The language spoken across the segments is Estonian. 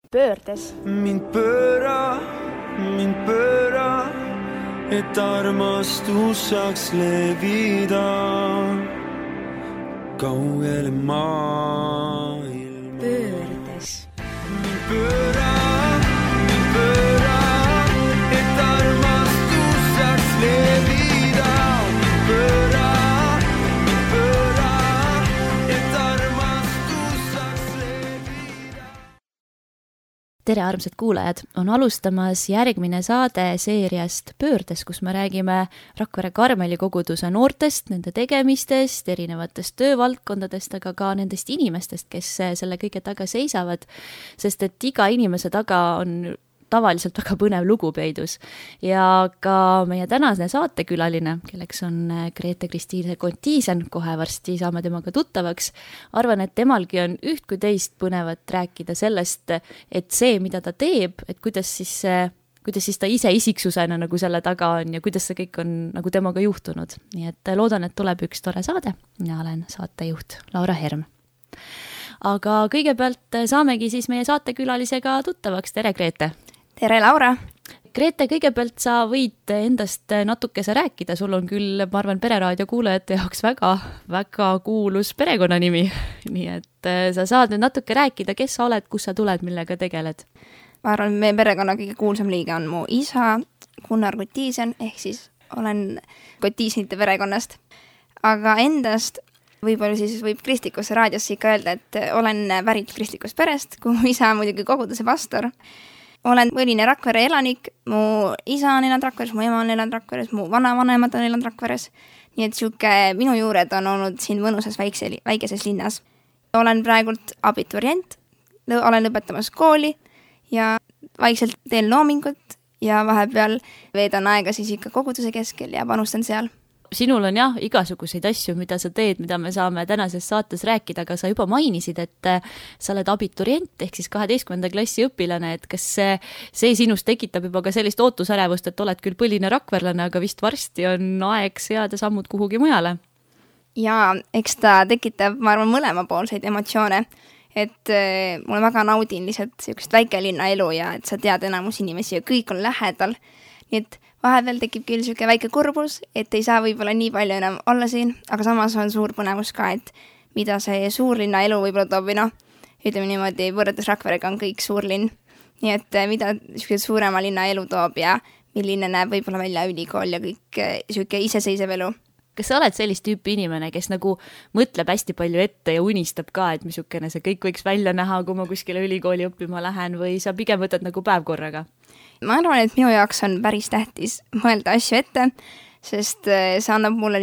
Pöördes. Mind pööra, et armastus saaks levida kaugele maailma. Pöördes. Mind pööra, et armastus saaks levida. Mind pööra, et armastus saaks levida. Tere, armsad kuulajad! On alustamas järgmine saade seeriast Pöördes, kus me räägime Rakvere Karmeli koguduse noortest, nende tegemistest, erinevatest töövaldkondadest, aga ka nendest inimestest, kes selle kõige taga seisavad, sest et iga inimese taga on tavaliselt väga põnev lugu peidus. Ja ka meie tänane saatekülaline, kelleks on Grete-Kristiine Kontiisen, kohe varsti saame temaga tuttavaks, arvan, et temalgi on üht kui teist põnevat rääkida sellest, et see, mida ta teeb, et kuidas siis ta ise isiksusena nagu selle taga on ja kuidas see kõik on nagu temaga juhtunud. Nii et loodan, et tuleb üks tore saade. Mina olen saatejuht Laura Herm. Aga kõigepealt saamegi siis meie saatekülalisega tuttavaks. Tere, Grete! Tere, Laura! Grete, kõigepealt sa võid endast natukese rääkida. Sul on küll, ma arvan, Pereraadio kuulajate jaoks väga kuulus perekonnanimi. Nii et sa saad nüüd natuke rääkida, kes sa oled, kus sa tuled, millega tegeled. Ma arvan, meie perekonna kõige kuulsam liige on mu isa, Gunnar Kontiisen, ehk siis olen Kontiisenite perekonnast. Aga endast võib-olla siis võib kristlikusse raadiosse ikka öelda, et olen pärit kristlikust perest, kuhu isa on muidugi koguduse pastor. Olen põline Rakvere elanik, mu isa on elanud Rakveres, mu ema on elanud Rakveres, mu vanavanemad on elanud Rakveres. Nii et minu juured on olnud siin mõnusas väikeses linnas. Olen praegult abiturient, olen lõpetamas kooli ja vaikselt teen loomingut ja vahepeal veedan aega siis ikka koguduse keskel ja panustan seal. Sinul on igasuguseid asju, mida sa teed, mida me saame tänases saates rääkida, aga sa juba mainisid, et sa oled abiturient ehk siis 12. klassi õpilane, et kas see sinust tekitab juba ka sellist ootusärevust, et oled küll põline rakverlane, aga vist varsti on aeg seada sammud kuhugi mujale? Ja eks ta tekitab, ma arvan, mõlemapoolseid emotsioone, et mulle väga naudin lihtsalt sellist väikelinna elu ja et sa tead enamus inimesi ja kõik on lähedal, nii et vahepeal tekib küll selline väike kurbus, et ei saa võib-olla nii palju enam olla siin, aga samas on suur põnevus ka, et mida see suurlinna elu võib-olla toob, ütleme niimoodi, võrreldes Rakverega on kõik suurlinn. Nii et mida suurema linna elu toob ja milline näeb võib-olla välja ülikool ja kõik selline iseseisev elu. Kas sa oled sellist tüüpi inimene, kes nagu mõtleb hästi palju ette ja unistab ka, et missugune see kõik võiks välja näha, kui ma kuskile ülikooli õppima lähen või sa pigem võtad nagu päev korraga? Ma arvan, et minu jaoks on päris tähtis mõelda asju ette, sest see annab mulle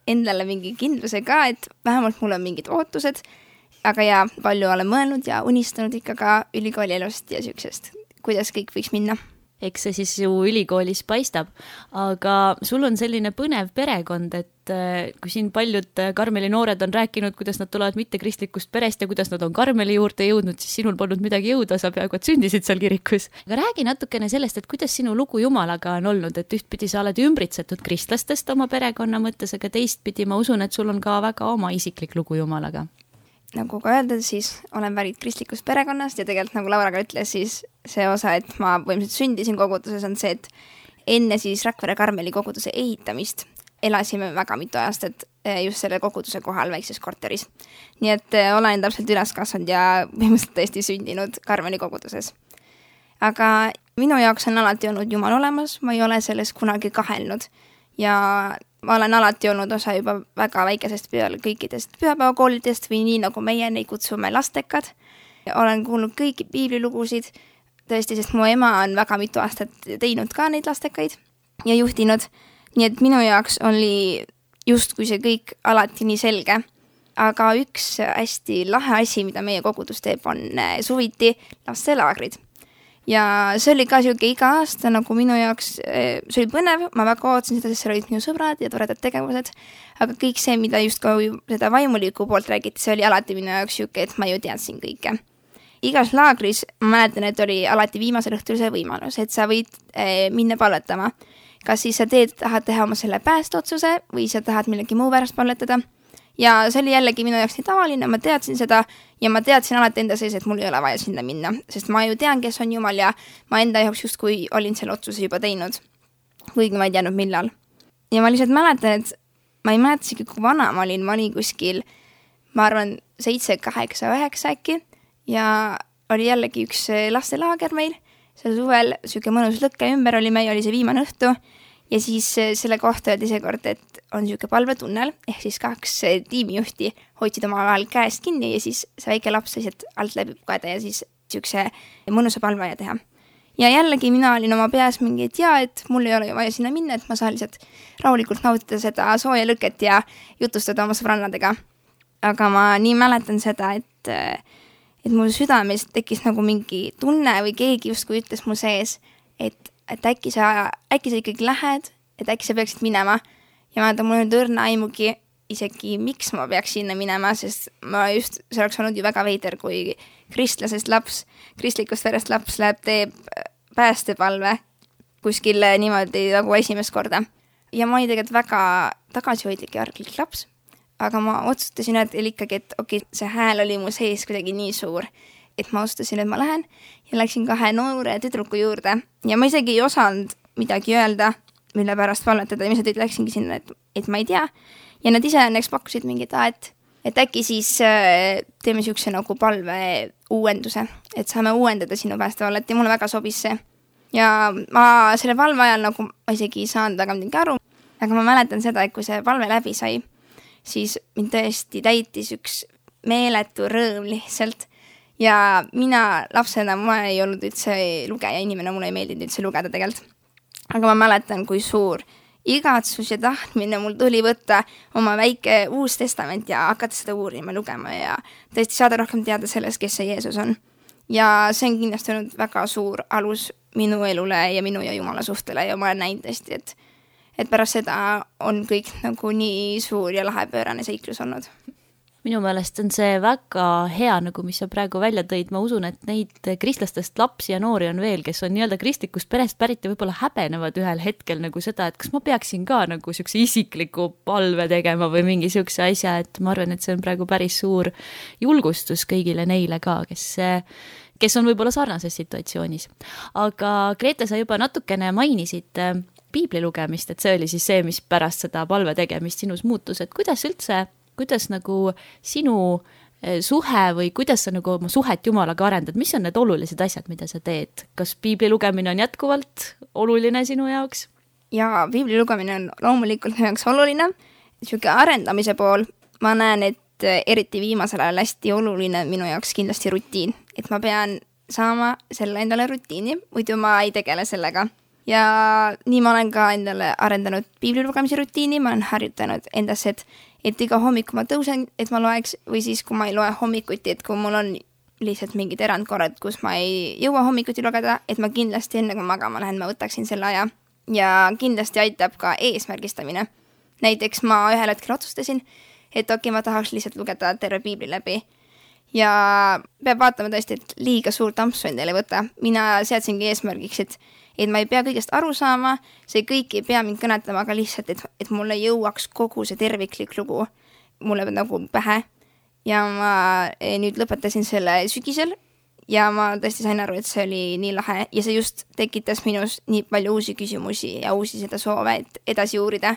endale mingi kindluse ka, et vähemalt mul on mingid ootused, aga palju olen mõelnud ja unistanud ikka ka ülikooli elust ja sellisest, kuidas kõik võiks minna. Eks see siis ju ülikoolis paistab, aga sul on selline põnev perekond, et kui siin paljud Karmeli noored on rääkinud, kuidas nad tulevad mitte kristlikust perest ja kuidas nad on Karmeli juurde jõudnud, siis sinul polnud midagi jõuda, sa peaaegu et sündisid seal kirikus. Aga räägi natukene sellest, et kuidas sinu lugu Jumalaga on olnud, et ühtpidi sa oled ümbritsetud kristlastest oma perekonna mõttes, aga teistpidi ma usun, et sul on ka väga oma isiklik lugu Jumalaga. Nagu ka öelda, siis olen pärit kristlikust perekonnast ja tegelikult nagu Laura ka ütles, siis see osa, et ma põhimõtteliselt sündisin koguduses, on see, et enne siis Rakvere Karmeli koguduse ehitamist elasime väga mitu aastat just selle koguduse kohal väikses korteris. Nii et olen täpselt üles kasvanud ja põhimõtteliselt tõesti sündinud Karmeli koguduses. Aga minu jaoks on alati olnud Jumal olemas, ma ei ole selles kunagi kahelnud ja ma olen alati olnud osa juba väga väikesest peale kõikidest pühapäevakoolidest või nii, nagu meie neid kutsume lastekad. Olen kuulnud kõiki piiblilugusid, tõesti, sest mu ema on väga mitu aastat teinud ka neid lastekaid ja juhtinud. Nii et minu jaoks oli justkui see kõik alati nii selge. Aga üks hästi lahe asi, mida meie kogudus teeb, on suviti lastelaagrid. Ja see oli ka selline iga aasta, nagu minu jaoks, see oli põnev, ma väga ootasin seda, sest seal olid minu sõbrad ja toredad tegevused, aga kõik see, mida just ka seda vaimuliku poolt räägiti, see oli alati minu jaoks selline, et ma ju teadsin kõike. Igas laagris, ma mäletan, et oli alati viimasel õhtul see võimalus, et sa võid minna palvetama. Kas siis sa tahad teha oma selle päästotsuse või sa tahad millegi muu pärast palvetada ja see oli jällegi minu jaoks nii tavaline, ma teadsin seda ja ma teadsin alati enda sees, et mul ei ole vaja sinna minna, sest ma ju tean, kes on Jumal ja ma enda jaoks justkui olin selle otsuse juba teinud, kuigi ma ei teadnud millal. Ja ma lihtsalt mäletan, et ma ei mäleta isegi, kui vana ma olin kuskil, ma arvan 7, 8, 9 äkki ja oli jällegi üks lastelaager meil, seal suvel siuke mõnus lõkke ümber oli see viimane õhtu ja siis selle kohta öeldi seekord, et on siuke palvetunnel, ehk siis 2 tiimijuhti hoidsid oma vahel käest kinni ja siis see väike laps lihtsalt alt läbi pugeda ja siis siukse mõnusa palveaja teha. Ja jällegi mina olin oma peas mingi, et jaa, et mul ei ole vaja sinna minna, et ma saan lihtsalt rahulikult nautida seda sooja lõket ja jutustada oma sõbrannadega. Aga ma nii mäletan seda, et mul südames tekkis nagu mingi tunne või keegi justkui ütles mu sees, et äkki sa ikkagi lähed, et äkki sa peaksid minema. Ja ma mul on õrna aimugi isegi, miks ma peaks sinna minema, sest see oleks olnud ju väga veider, kui kristlasest laps, kristlikust verest laps teeb päästepalve kuskil niimoodi nagu esimest korda. Ja ma olin tegelikult väga tagasihoidlik ja arglik laps, aga ma otsustasin, et ikkagi, et okei, see hääl oli mu sees kuidagi nii suur, et ma otsustasin, et ma lähen ja läksin 2 noore tüdruku juurde ja ma isegi ei osanud midagi öelda, mille pärast palvetada ja ma lihtsalt läksingi sinna, et ma ei tea. Ja nad ise õnneks pakkusid mingi, et äkki siis teeme siukse nagu palve uuenduse, et saame uuendada sinu päästevallet ja mulle väga sobis see. Ja ma selle palve ajal nagu ma isegi ei saanud väga midagi aru, aga ma mäletan seda, et kui see palve läbi sai, siis mind tõesti täitis üks meeletu rõõm lihtsalt. Ja mina lapsena, ma ei olnud üldse lugeja inimene, mulle ei meeldinud üldse lugeda tegelikult. Aga ma mäletan, kui suur igatsus ja tahtmine mul tuli võtta oma väike uus testament ja hakata seda uurima, lugema ja tõesti saada rohkem teada sellest, kes see Jeesus on. Ja see on kindlasti olnud väga suur alus minu elule ja minu ja Jumala suhtele ja ma olen näinud tõesti, et pärast seda on kõik nagu nii suur ja lahe pöörane seiklus olnud. Minu meelest on see väga hea, nagu mis sa praegu välja tõid. Ma usun, et neid kristlastest lapsi ja noori on veel, kes on nii-öelda kristlikust perest pärit ja võib-olla häbenevad ühel hetkel nagu seda, et kas ma peaksin ka nagu siukse isikliku palve tegema või mingi siukse asja, et ma arvan, et see on praegu päris suur julgustus kõigile neile ka, kes on võib-olla sarnases situatsioonis. Aga Grete, sa juba natukene mainisid piibli lugemist, et see oli siis see, mis pärast seda palve tegemist sinus muutus, et kuidas nagu sinu suhe või kuidas sa nagu oma suhet Jumalaga arendad, mis on need olulised asjad, mida sa teed? Kas piibli lugemine on jätkuvalt oluline sinu jaoks? Ja piibli lugemine on loomulikult minu jaoks oluline. Siuke arendamise pool, ma näen, et eriti viimasel ajal hästi oluline minu jaoks kindlasti rutiin. Et ma pean saama selle endale rutiini, muidu ma ei tegele sellega. Ja nii ma olen ka endale arendanud piibli lugemise rutiini, ma olen harjutanud endas, et iga hommiku ma tõusen, et ma loeks, või siis kui ma ei loe hommikuti, et kui mul on lihtsalt mingid erandkorrad, kus ma ei jõua hommikuti lugeda, et ma kindlasti enne kui magama lähen, ma võtaksin selle aja. Ja kindlasti aitab ka eesmärgistamine. Näiteks ma ühel hetkel otsustasin, et ma tahaks lihtsalt lugeda terve piibli läbi. Ja peab vaatama tõesti, et liiga suurt ampsu endale võtta. Mina seadsingi eesmärgiks, et ma ei pea kõigest aru saama, see kõik ei pea mind kõnetama, aga lihtsalt, et mulle jõuaks kogu see terviklik lugu mulle nagu pähe. Ja ma nüüd lõpetasin selle sügisel ja ma tõesti sain aru, et see oli nii lahe ja see just tekitas minus nii palju uusi küsimusi ja uusi seda soove, et edasi uurida.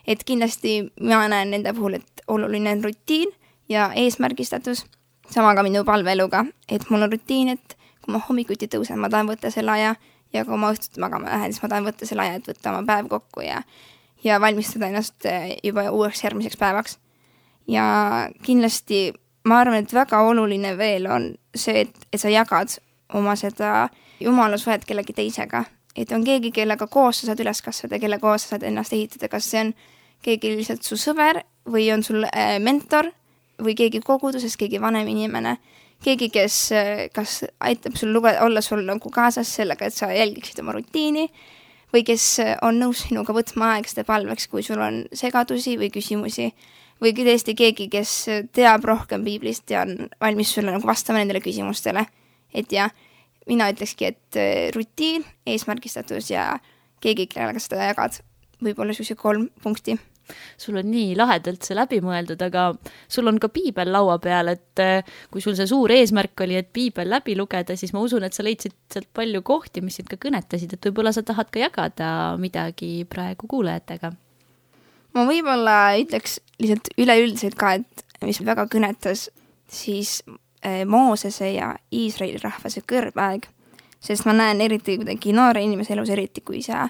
Et kindlasti ma näen nende puhul, et oluline on rutiin ja eesmärgistatus, sama ka minu palveeluga, et mul on rutiin, et kui ma hommikuti tõusen, ma tahan võtta selle aja ja kui ma õhtuti magama lähen, siis ma tahan võtta selle aja, et võtta oma päev kokku ja valmistada ennast juba uueks järgmiseks päevaks. Ja kindlasti ma arvan, et väga oluline veel on see, et sa jagad oma seda Jumala suhet kellegi teisega. Et on keegi, kellega koos sa saad üles kasvada, kelle koos sa saad ennast ehitada, kas see on keegi lihtsalt su sõber või on sul mentor või keegi koguduses, keegi vanem inimene, keegi, kes kas aitab sul olla sul nagu kaasas sellega, et sa jälgiksid oma rutiini või kes on nõus sinuga võtma aegste palveks, kui sul on segadusi või küsimusi või tõesti keegi, kes teab rohkem piiblist ja on valmis sulle nagu vastama nendele küsimustele. Et ja mina ütlekski, et rutiin, eesmärgistatus ja keegi, kellega seda jagad, võib olla selline 3 punkti. sul on nii lahedalt see läbi mõeldud, aga sul on ka piibel laua peal, et kui sul see suur eesmärk oli, et piibel läbi lugeda, siis ma usun, et sa leidsid sealt palju kohti, mis sind ka kõnetasid, et võib-olla sa tahad ka jagada midagi praegu kuulajatega. Ma võib-olla ütleks lihtsalt üleüldiselt ka, et mis väga kõnetas, siis Moosese ja Iisraeli rahvase kõrbaeg, sest ma näen eriti kuidagi noore inimese elus, eriti kui sa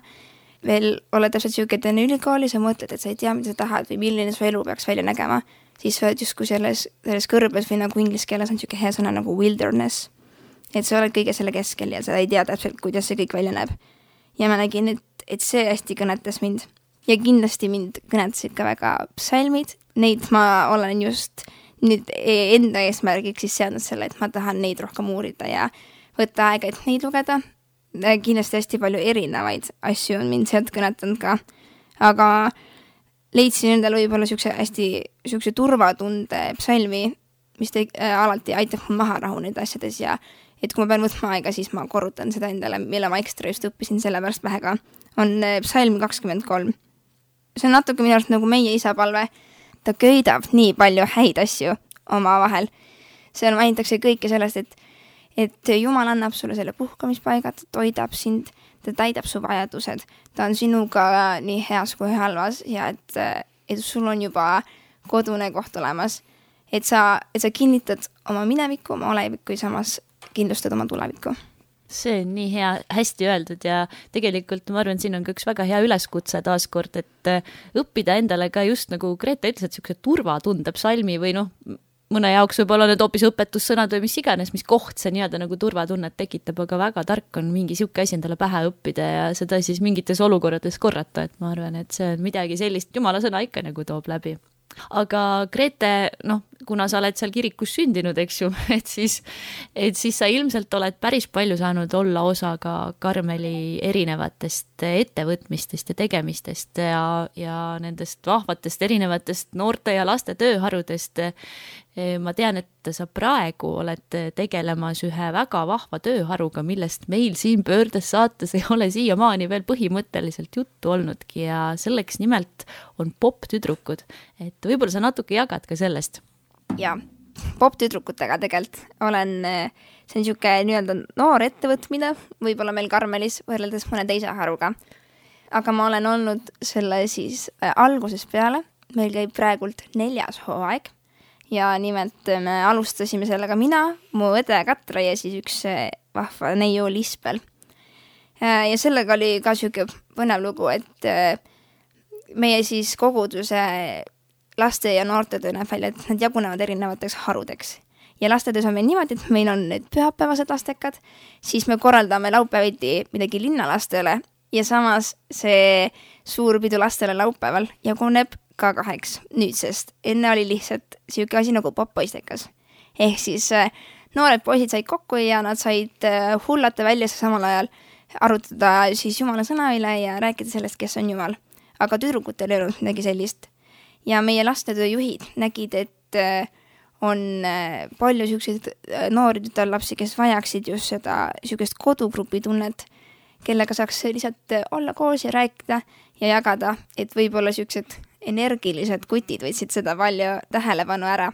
veel oled täpselt siuke, et enne ülikooli sa mõtled, et sa ei tea, mida sa tahad või milline su elu peaks välja nägema, siis sa oled justkui selles kõrbes või nagu inglise keeles on siuke hea sõna nagu wilderness, et sa oled kõige selle keskel ja sa ei tea täpselt, kuidas see kõik välja näeb. Ja ma nägin, et see hästi kõnetas mind ja kindlasti mind kõnetasid ka väga psalmid, neid ma olen just nüüd enda eesmärgiks siis seadnud selle, et ma tahan neid rohkem uurida ja võtta aega, et neid lugeda. Kindlasti hästi palju erinevaid asju on mind sealt kõnetanud ka, aga leidsin endale võib-olla siukse turvatunde psalmi, mis alati aitab mul maha rahuneda asjades ja et kui ma pean võtma aega, siis ma korrutan seda endale, mille ma ekstra just õppisin selle pärast vähega, on psalm 23. See on natuke minu arust nagu meie isa palve. Ta köidab nii palju häid asju omavahel. Seal mainitakse kõike sellest, et Jumal annab sulle selle puhkamispaiga, ta toidab sind, ta täidab su vajadused, ta on sinuga nii heas kui halvas ja et sul on juba kodune koht olemas, et sa kinnitad oma minevikku, oma olevikku ja samas kindlustad oma tulevikku. See on nii hea, hästi öeldud ja tegelikult ma arvan, siin on ka üks väga hea üleskutse taaskord, et õppida endale ka just nagu Grete ütles, et siukse turvatunde psalmi või mõne jaoks võib-olla need hoopis õpetussõnad või mis iganes, mis koht see nii-öelda nagu turvatunnet tekitab, aga väga tark on mingi siuke asi endale pähe õppida ja seda siis mingites olukorrades korrata, et ma arvan, et see on midagi sellist, Jumala sõna ikka nagu toob läbi. Aga Grete, kuna sa oled seal kirikus sündinud, eks ju, et siis sa ilmselt oled päris palju saanud olla osa ka Karmeli erinevatest ettevõtmistest ja tegemistest ja nendest vahvatest erinevatest noorte ja laste tööharudest. Ma tean, et sa praegu oled tegelemas ühe väga vahva tööharuga, millest meil siin Pöördes saates ei ole siiamaani veel põhimõtteliselt juttu olnudki ja selleks nimelt on poptüdrukud. Et võib-olla sa natuke jagad ka sellest. Ja poptüdrukutega tegelikult see on siuke nii-öelda noor ettevõtmine, võib-olla meil Karmelis võrreldes mõne teise haruga. Aga ma olen olnud selle siis algusest peale, meil käib praegult 4. hooaeg. Ja nimelt me alustasime sellega mina, mu õde Katra ja siis üks vahva neiu Lispel. Ja sellega oli ka siuke põnev lugu, et meie siis koguduse laste ja noortetöö näeb välja, et nad jagunevad erinevateks harudeks. Ja lastetöös on meil niimoodi, et meil on need pühapäevased lastekad, siis me korraldame laupäeviti midagi linnalastele ja samas see suur pidu lastele laupäeval jaguneb ka 2 nüüdsest. Enne oli lihtsalt siuke asi nagu poppoistekas. Ehk siis noored poisid said kokku ja nad said hullata välja samal ajal arutada siis Jumala sõna üle ja rääkida sellest, kes on Jumal. Aga tüdrukutel ei olnud midagi sellist. Ja meie lastetööjuhid nägid, et on palju siukseid noori tütarlapsi, kes vajaksid just seda siukest kodugrupi tunnet, kellega saaks lihtsalt olla koos ja rääkida ja jagada, et võib-olla siuksed energilised kutid võtsid seda palju tähelepanu ära.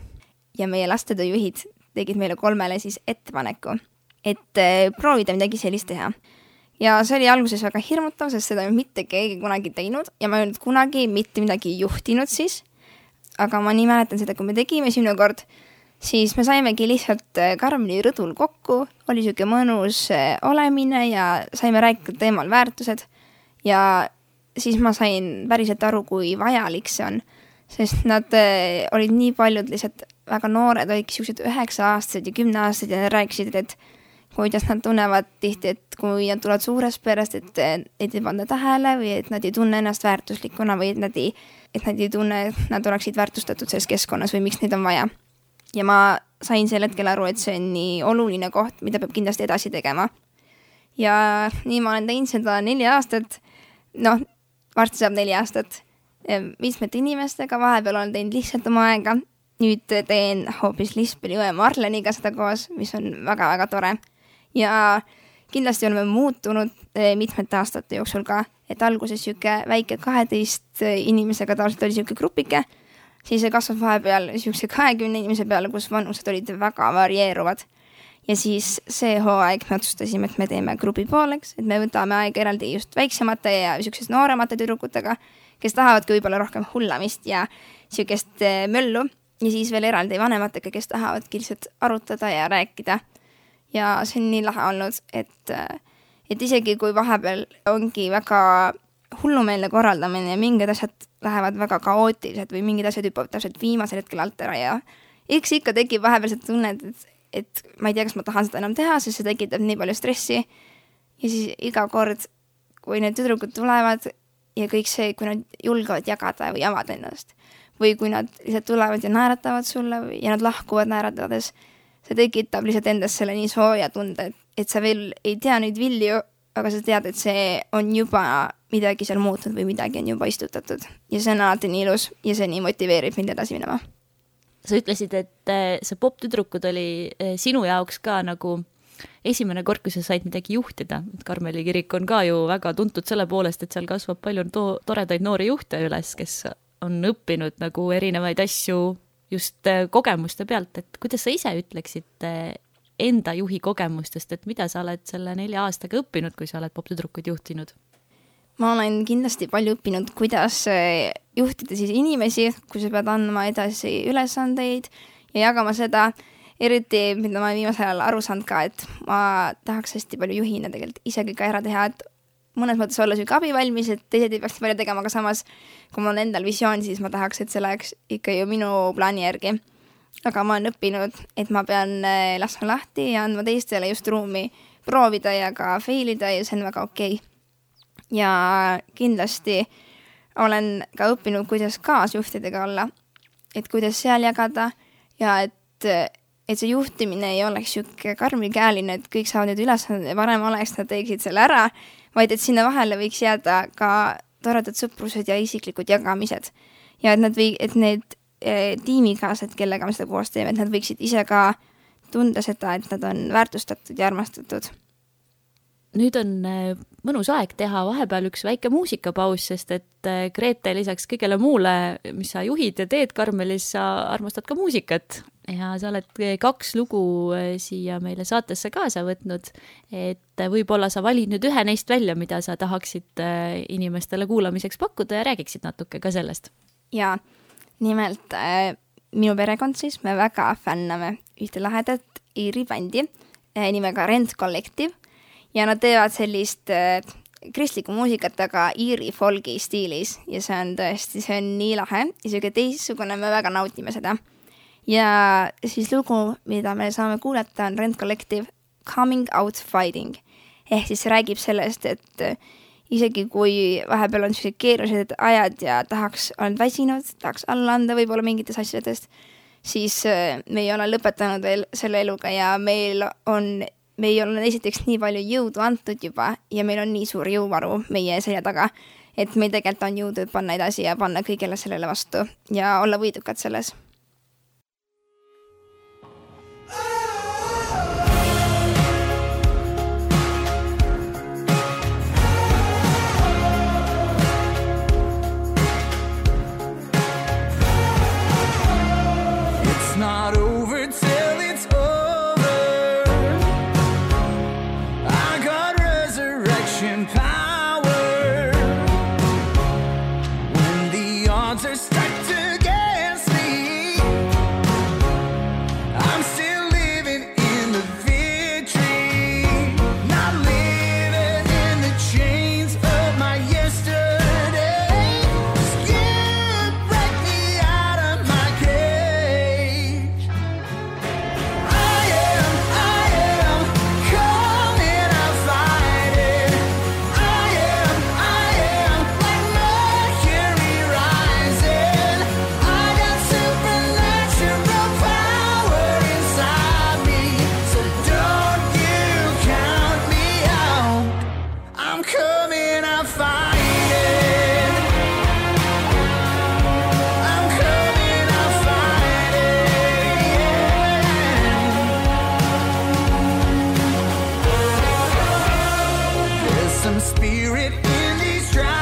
Ja meie lastetööjuhid tegid meile 3 siis ettepaneku, et proovida midagi sellist teha. Ja see oli alguses väga hirmutav, sest seda mitte keegi kunagi teinud ja ma ei olnud kunagi mitte midagi juhtinud siis. Aga ma nii mäletan seda, kui me tegime esimene kord, siis me saimegi lihtsalt Karmeli rõdul kokku, oli siuke mõnus olemine ja saime rääkida teemal väärtused ja siis ma sain päriselt aru, kui vajalik see on, sest nad olid nii paljud lihtsalt väga noored, olidki siuksed 9-aastased ja 10-aastased ja nad rääkisid, et kuidas nad tunnevad tihti, et kui nad tulevad suurest perest, et ei panda tähele või et nad ei tunne ennast väärtuslikuna või et nad ei tunne, et nad oleksid väärtustatud selles keskkonnas või miks neid on vaja. Ja ma sain sel hetkel aru, et see on nii oluline koht, mida peab kindlasti edasi tegema. Ja nii ma olen teinud seda 4 aastat, varsti saab 4 aastat mitmete inimestega, vahepeal olen teinud lihtsalt oma aega. Nüüd teen hoopis Lispeli õe Marleniga seda koos, mis on väga-väga tore. Ja kindlasti oleme muutunud mitmete aastate jooksul ka, et alguses siuke väike 12 inimesega tavaliselt oli siuke grupike, siis see kasvab vahepeal siukse 20 inimese peale, kus vanused olid väga varieeruvad. Ja siis see hooaeg me otsustasime, et me teeme grupi pooleks, et me võtame aega eraldi just väiksemate ja siuksed nooremate tüdrukutega, kes tahavadki võib-olla rohkem hullamist ja siukest möllu. Ja siis veel eraldi vanematega, kes tahavadki lihtsalt arutada ja rääkida. Ja see on nii lahe olnud, et isegi kui vahepeal ongi väga hullumeelne korraldamine ja mingid asjad lähevad väga kaootilised või mingid asjad hüppavad täpselt viimasel hetkel alt ära ja eks ikka tekib vahepeal see tunne, et ma ei tea, kas ma tahan seda enam teha, sest see tekitab nii palju stressi. Ja siis iga kord, kui need tüdrukud tulevad ja kõik see, kui nad julgevad jagada või avada ennast või kui nad lihtsalt tulevad ja naeratavad sulle ja nad lahkuvad naeratades, see tekitab lihtsalt endast selle nii sooja tunde, et sa veel ei tea neid vilju, aga sa tead, et see on juba midagi seal muutunud või midagi on juba istutatud. Ja see on alati nii ilus ja see nii motiveerib mind edasi minema. Sa ütlesid, et see poptüdrukud oli sinu jaoks ka nagu esimene kord, kui sa said midagi juhtida. Karmeli kirik on ka ju väga tuntud selle poolest, et seal kasvab palju toredaid noori juhte üles, kes on õppinud nagu erinevaid asju just kogemuste pealt, et kuidas sa ise ütleksid enda juhi kogemustest, et mida sa oled selle 4 aastaga õppinud, kui sa oled poptüdrukud juhtinud? Ma olen kindlasti palju õppinud, kuidas juhtida siis inimesi, kui sa pead andma edasi ülesandeid ja jagama seda, eriti mida ma viimasel ajal aru saanud ka, et ma tahaks hästi palju juhina tegelikult isegi ka ära teha, et mõnes mõttes olla süük abi valmis, et teised ei peaks palju tegema, aga samas, kui mul on endal visioon, siis ma tahaks, et see läheks ikka ju minu plaani järgi. Aga ma olen õppinud, et ma pean laskma lahti ja andma teistele just ruumi proovida ja ka failida ja see on väga okei. Ja kindlasti olen ka õppinud, kuidas kaasjuhtidega olla, et kuidas seal jagada ja et see juhtimine ei oleks siuke karmikäeline, et kõik saavad nüüd ülesanded ja parem oleks, nad teeksid selle ära, vaid et sinna vahele võiks jääda ka toredad sõprused ja isiklikud jagamised. Ja et need tiimikaased, kellega me seda koos teeme, et nad võiksid ise ka tunda seda, et nad on väärtustatud ja armastatud. Nüüd on mõnus aeg teha vahepeal üks väike muusikapaus, sest et Grete lisaks kõigele muule, mis sa juhid ja teed Karmelis, sa armastad ka muusikat ja sa oled 2 lugu siia meile saatesse kaasa võtnud, et võib-olla sa valid nüüd ühe neist välja, mida sa tahaksid inimestele kuulamiseks pakkuda ja räägiksid natuke ka sellest. Ja nimelt minu perekond siis, me väga fänname ühte lahedat Iiri bändi nimega Rent Collective ja nad teevad sellist kristlikku muusikat, aga Iiri folgi stiilis ja see on tõesti, see on nii lahe ja selline teistsugune, me väga nautime seda. Ja siis lugu, mida me saame kuulata, on Rent Collective Coming Out Fighting. Ehk siis see räägib sellest, et isegi kui vahepeal on sellised keerulised ajad ja olen väsinud, tahaks alla anda võib-olla mingites asjadest, siis me ei ole lõpetanud veel selle eluga ja meil ei ole esiteks nii palju jõudu antud juba ja meil on nii suur jõuvaru meie selja taga, et meil tegelikult on jõudu panna edasi ja panna kõigele sellele vastu ja olla võidukad selles. It's not over till it's over. I got resurrection power. When the odds are stacked against me, I'm still living in the victory. Not living in the chains of my yesterday. Just you break me out of my cage. I am coming out fighting. I am like Mercury rising. I got supernatural power inside me, so don't you count me out. I'm coming out fighting. I'm coming out fighting. There's some spirit in these dry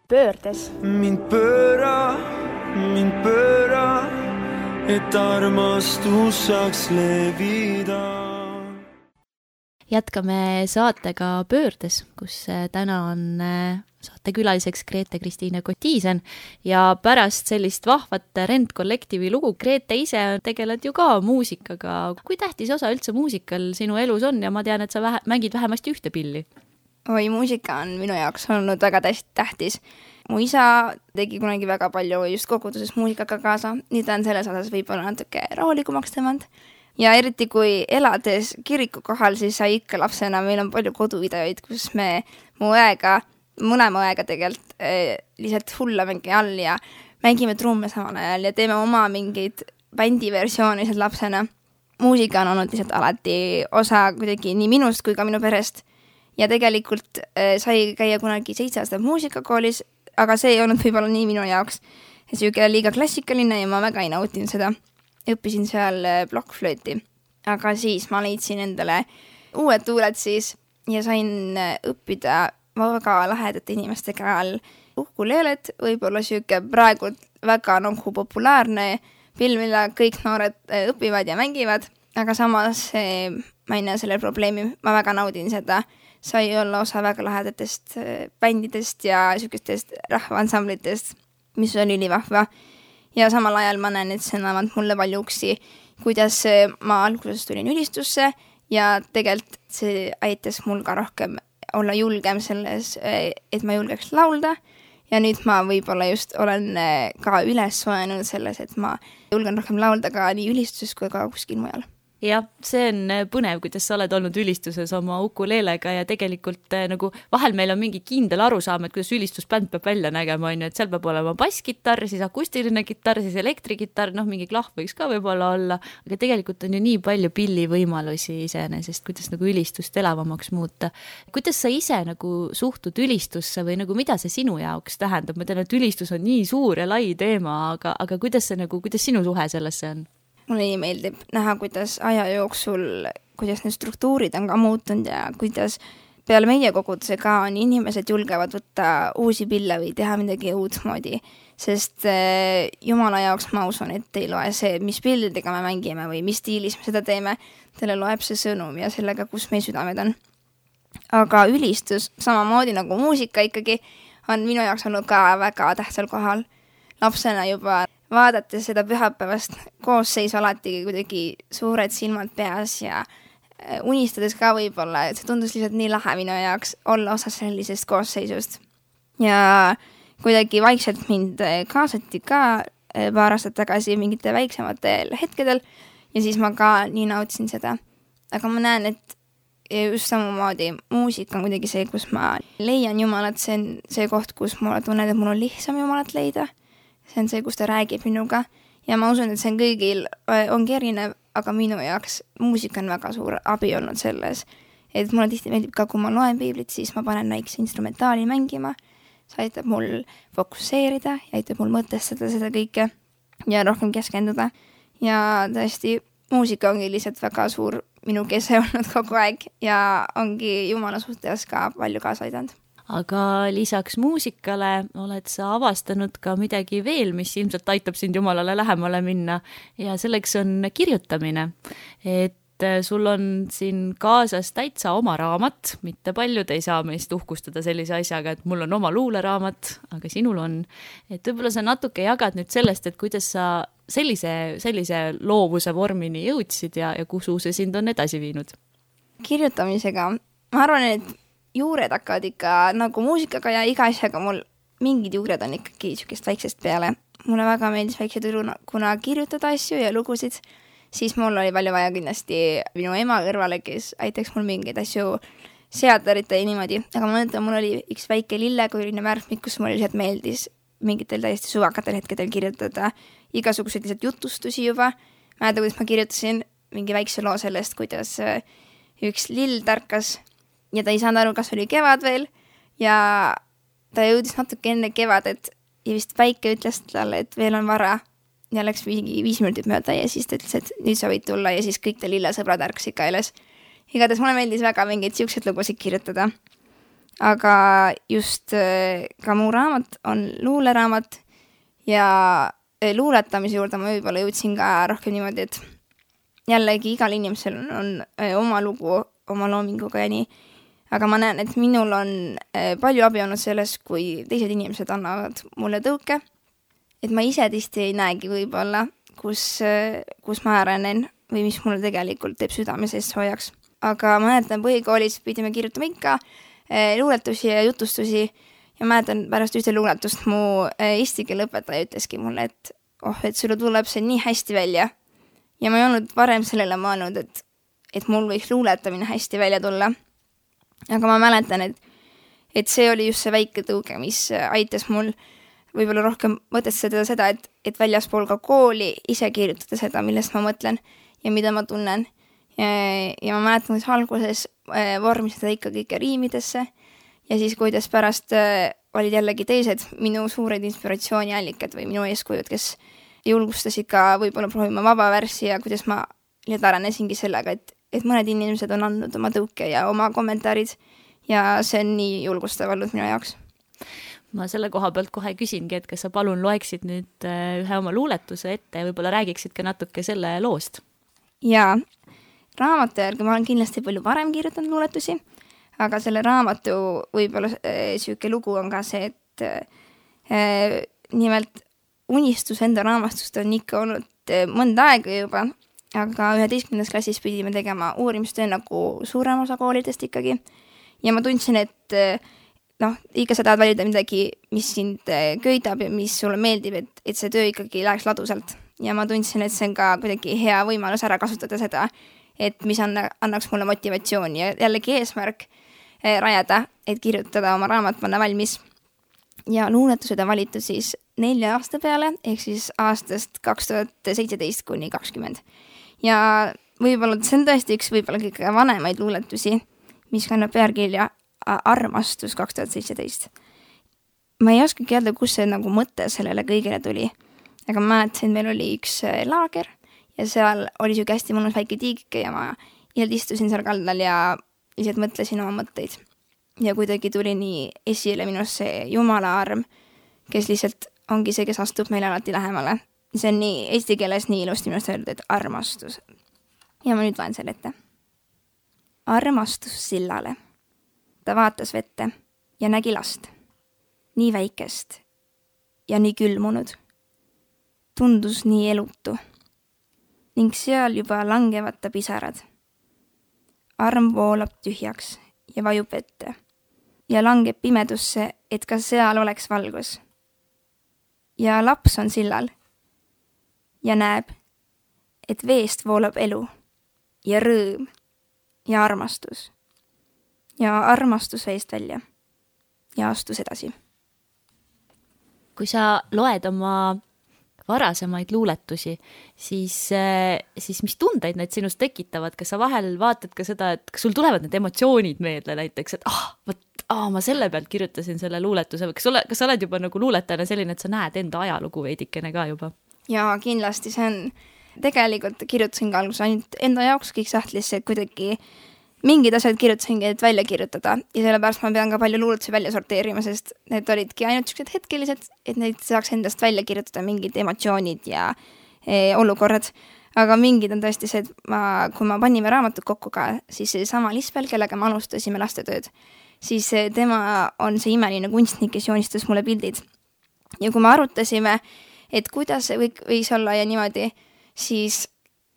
pöördes. mind pööra, et armastus saaks levida. Jätkame saatega Pöördes, kus täna on saatekülaliseks Grete-Kristiine Kotiisen ja pärast sellist vahvat Rent-kollektiivi lugu Grete ise tegeled ju ka muusikaga. Kui tähtis osa üldse muusikal sinu elus on ja ma tean, et sa mängid vähemasti ühte pilli? Oi, muusika on minu jaoks olnud väga tähtis. Mu isa tegi kunagi väga palju just koguduses muusikaga kaasa, nii ta on selles osas võib-olla natuke rahulikumaks tõmmanud. Ja eriti kui elades kiriku kohal, siis sai ikka lapsena, meil on palju koduvideoid, kus me mõlema õega tegelikult lihtsalt hullamegi all ja mängime trumme samal ajal ja teeme oma mingeid bändiversioone lihtsalt lapsena. Muusika on olnud lihtsalt alati osa kuidagi nii minust kui ka minu perest. Ja tegelikult sai käia kunagi 7 aastat muusikakoolis, aga see ei olnud võib-olla nii minu jaoks. Siuke liiga klassikaline ja ma väga ei nautinud seda. Õppisin seal plokkflööti, aga siis ma leidsin endale uued tuuled siis ja sain õppida väga lahedate inimestega all ukuleelet, võib-olla siuke praegu väga populaarne pill, mille kõik noored õpivad ja mängivad, aga samas ma ei näe selle probleemi, ma väga naudin seda. Sai olla osa väga lahedatest bändidest ja siukestest rahvaansamblitest, mis oli ülivahva. Ja samal ajal ma näen, et see annavad mulle palju uksi, kuidas ma alguses tulin ülistusse ja tegelikult see aitas mul ka rohkem olla julgem selles, et ma julgeks laulda. Ja nüüd ma võib-olla just olen ka üles soenud selles, et ma julgen rohkem laulda ka nii ülistuses kui ka kuskil mujal. Jah, see on põnev, kuidas sa oled olnud ülistuses oma ukuleelega ja tegelikult nagu vahel meil on mingi kindel arusaam, et kuidas ülistusbänd peab välja nägema, et seal peab olema basskitarr, siis akustiline kitarr, siis elektrikitarr, mingi klahv võiks ka võib-olla olla, aga tegelikult on ju nii palju pillivõimalusi iseenesest, kuidas nagu ülistust elavamaks muuta. Kuidas sa ise nagu suhtud ülistusse või nagu mida see sinu jaoks tähendab? Ma tean, et ülistus on nii suur ja lai teema, aga kuidas sinu suhe sellesse on? Mulle nii meeldib näha, kuidas aja jooksul, kuidas need struktuurid on ka muutunud ja kuidas peale meie koguduse ka on inimesed julgevad võtta uusi pille või teha midagi uut moodi. Sest Jumala jaoks ma usun, et ei loe see, mis pildidega me mängime või mis stiilis me seda teeme. Teile loeb see sõnum ja sellega, kus meie südamed on. Aga ülistus, samamoodi nagu muusika ikkagi, on minu jaoks olnud ka väga tähtsal kohal. Lapsena juba vaadates seda pühapäevast koosseis alati kuidagi suured silmad peas ja unistades ka võib-olla, et see tundus lihtsalt nii lahe minu jaoks olla osa sellisest koosseisust. Ja kuidagi vaikselt mind kaasati ka paar aastat tagasi mingite väiksematel hetkedel ja siis ma ka nii nautisin seda. Aga ma näen, et just samamoodi muusika on kuidagi see, kus ma leian Jumalat, see on see koht, kus mulle tunnen, et mul on lihtsam Jumalat leida. See on see, kus ta räägib minuga ja ma usun, et see on kõigil ongi erinev, aga minu jaoks muusika on väga suur abi olnud selles. Et mulle tihti meeldib ka, kui ma loen piiblit, siis ma panen väikse instrumentaali mängima. See aitab mul fokusseerida ja aitab mul mõtestada seda kõike ja rohkem keskenduda. Ja tõesti, muusika ongi lihtsalt väga suur minu kese olnud kogu aeg ja ongi Jumala suhtes ka palju kaasa aidanud. Aga lisaks muusikale oled sa avastanud ka midagi veel, mis ilmselt aitab sind Jumalale lähemale minna ja selleks on kirjutamine. Et sul on siin kaasas täitsa oma raamat, mitte paljud ei saa meist uhkustada sellise asjaga, et mul on oma luuleraamat, aga sinul on. Et võib-olla sa natuke jagad nüüd sellest, et kuidas sa sellise loovuse vormini jõudsid ja kuhu see sind on edasi viinud? Kirjutamisega, ma arvan, et juured hakkavad ikka nagu muusikaga ja iga asjaga mul mingid juured on ikkagi sükest väiksest peale. Mulle väga meeldis väikse kuna kirjutada asju ja lugusid, siis mul oli palju vaja kindlasti minu ema kõrvale, kes aitaks mul mingeid asju seadarita ja niimoodi. Aga ma mõtlen, mul oli üks väike lillekujuline värvmik, kus mul lihtsalt meeldis mingitel täiesti suvakatel hetkedel kirjutada igasuguseid lihtsalt jutustusi juba. Mäletan, kuidas ma kirjutasin mingi väikse loo sellest, kuidas üks lill tärkas ja ta ei saanud aru, kas oli kevad veel ja ta jõudis natuke enne kevadet ja vist päike ütles talle, et veel on vara ja läks 5 minutit mööda ja siis ta ütles, et nüüd sa võid tulla ja siis kõik ta lillesõbrad ärkasid ka üles. Igatahes mulle meeldis väga mingeid siukseid lugusid kirjutada. aga just ka mu raamat on luuleraamat ja luuletamise juurde ma võib-olla jõudsin ka rohkem niimoodi, et jällegi igal inimesel on oma lugu oma loominguga ja nii, aga ma näen, et minul on palju abi olnud selles, kui teised inimesed annavad mulle tõuke, et ma ise tihti ei näegi võib-olla, kus ma arenen või mis mulle tegelikult teeb südame sees soojaks. Aga ma mäletan, põhikoolis pidime kirjutama ikka luuletusi ja jutustusi ja mäletan pärast ühte luuletust mu eesti keele õpetaja ütleski mulle, et sulle tuleb see nii hästi välja. Ja ma ei olnud varem sellele mõelnud, et mul võiks luuletamine hästi välja tulla. Aga ma mäletan, et see oli just see väike tõuge, mis aitas mul võib-olla rohkem mõtestada seda, et väljaspool ka kooli ise kirjutada seda, millest ma mõtlen ja mida ma tunnen. Ja ma mäletan, et alguses vormistada ikka kõike riimidesse ja siis kuidas pärast olid jällegi teised minu suured inspiratsiooniallikad või minu eeskujud, kes julgustasid ka võib-olla proovima vaba värssi ja kuidas ma arenesingi sellega, et mõned inimesed on andnud oma tõuke ja oma kommentaarid ja see on nii julgustav olnud minu jaoks. Ma selle koha pealt kohe küsingi, et kas sa palun loeksid nüüd ühe oma luuletuse ette ja võib-olla räägiksid ka natuke selle loost? Jaa, raamatu järgi ma olen kindlasti palju varem kirjutanud luuletusi, aga selle raamatu võib-olla siuke lugu on ka see, et nimelt unistus enda raamastust on ikka olnud mõnda aega juba, aga 11. klassis pidime tegema uurimistöö nagu suurem osa koolidest ikkagi ja ma tundsin, et ikka sa tahad valida midagi, mis sind köidab ja mis sulle meeldib, et see töö ikkagi läheks ladusalt. Ja ma tundsin, et see on ka kuidagi hea võimalus ära kasutada seda, et mis annaks mulle motivatsiooni ja jällegi eesmärk rajada, et kirjutada oma raamat panna valmis. Ja luuletused on valitud siis 4 aasta peale, ehk siis aastast 2017 kuni 2020. Ja võib-olla see on tõesti üks võib-olla kõige vanemaid luuletusi, mis kannab pealkirja Armastus 2017. Ma ei oskagi öelda, kus see nagu mõte sellele kõigile tuli, aga ma mäletasin, meil oli üks laager ja seal oli siuke hästi mõnus väike tiigike ja ma lihtsalt istusin seal kaldal ja lihtsalt mõtlesin oma mõtteid. Ja kuidagi tuli nii esile minust see Jumala arm, kes lihtsalt ongi see, kes astub meile alati lähemale. See on nii eesti keeles nii ilusti minust öelda, et armastus. Ja ma nüüd loen selle ette. Armastus sillale. Ta vaatas vette ja nägi last. Nii väikest ja nii külmunud. Tundus nii elutu. Ning seal juba langevad ta pisarad. Arm voolab tühjaks ja vajub vette. Ja langeb pimedusse, et ka seal oleks valgus. Ja laps on sillal. Ja näeb, et veest voolab elu ja rõõm ja armastus. Ja armastus veest välja ja astus edasi. Kui sa loed oma varasemaid luuletusi, siis mis tundeid need sinust tekitavad? Kas sa vahel vaatad ka seda, et kas sul tulevad need emotsioonid meelde näiteks, et ma selle pealt kirjutasin selle luuletuse, või kas sa oled juba nagu luuletajana selline, et sa näed enda ajalugu veidikene ka juba? Jaa, kindlasti see on, tegelikult kirjutasin ka alguses ainult enda jaoks kõik sahtlisse, et kuidagi mingid asjad kirjutasingi, et välja kirjutada ja sellepärast ma pean ka palju luuletusi välja sorteerima, sest need olidki ainult sellised hetkelised, et neid saaks endast välja kirjutada mingid emotsioonid ja olukorrad, aga mingid on tõesti see, et kui ma panime raamatut kokku ka, siis sama Lispel, kellega me alustasime lastetööd, siis tema on see imeline kunstnik, kes joonistas mulle pildid ja kui me arutasime, et kuidas see võis olla ja niimoodi, siis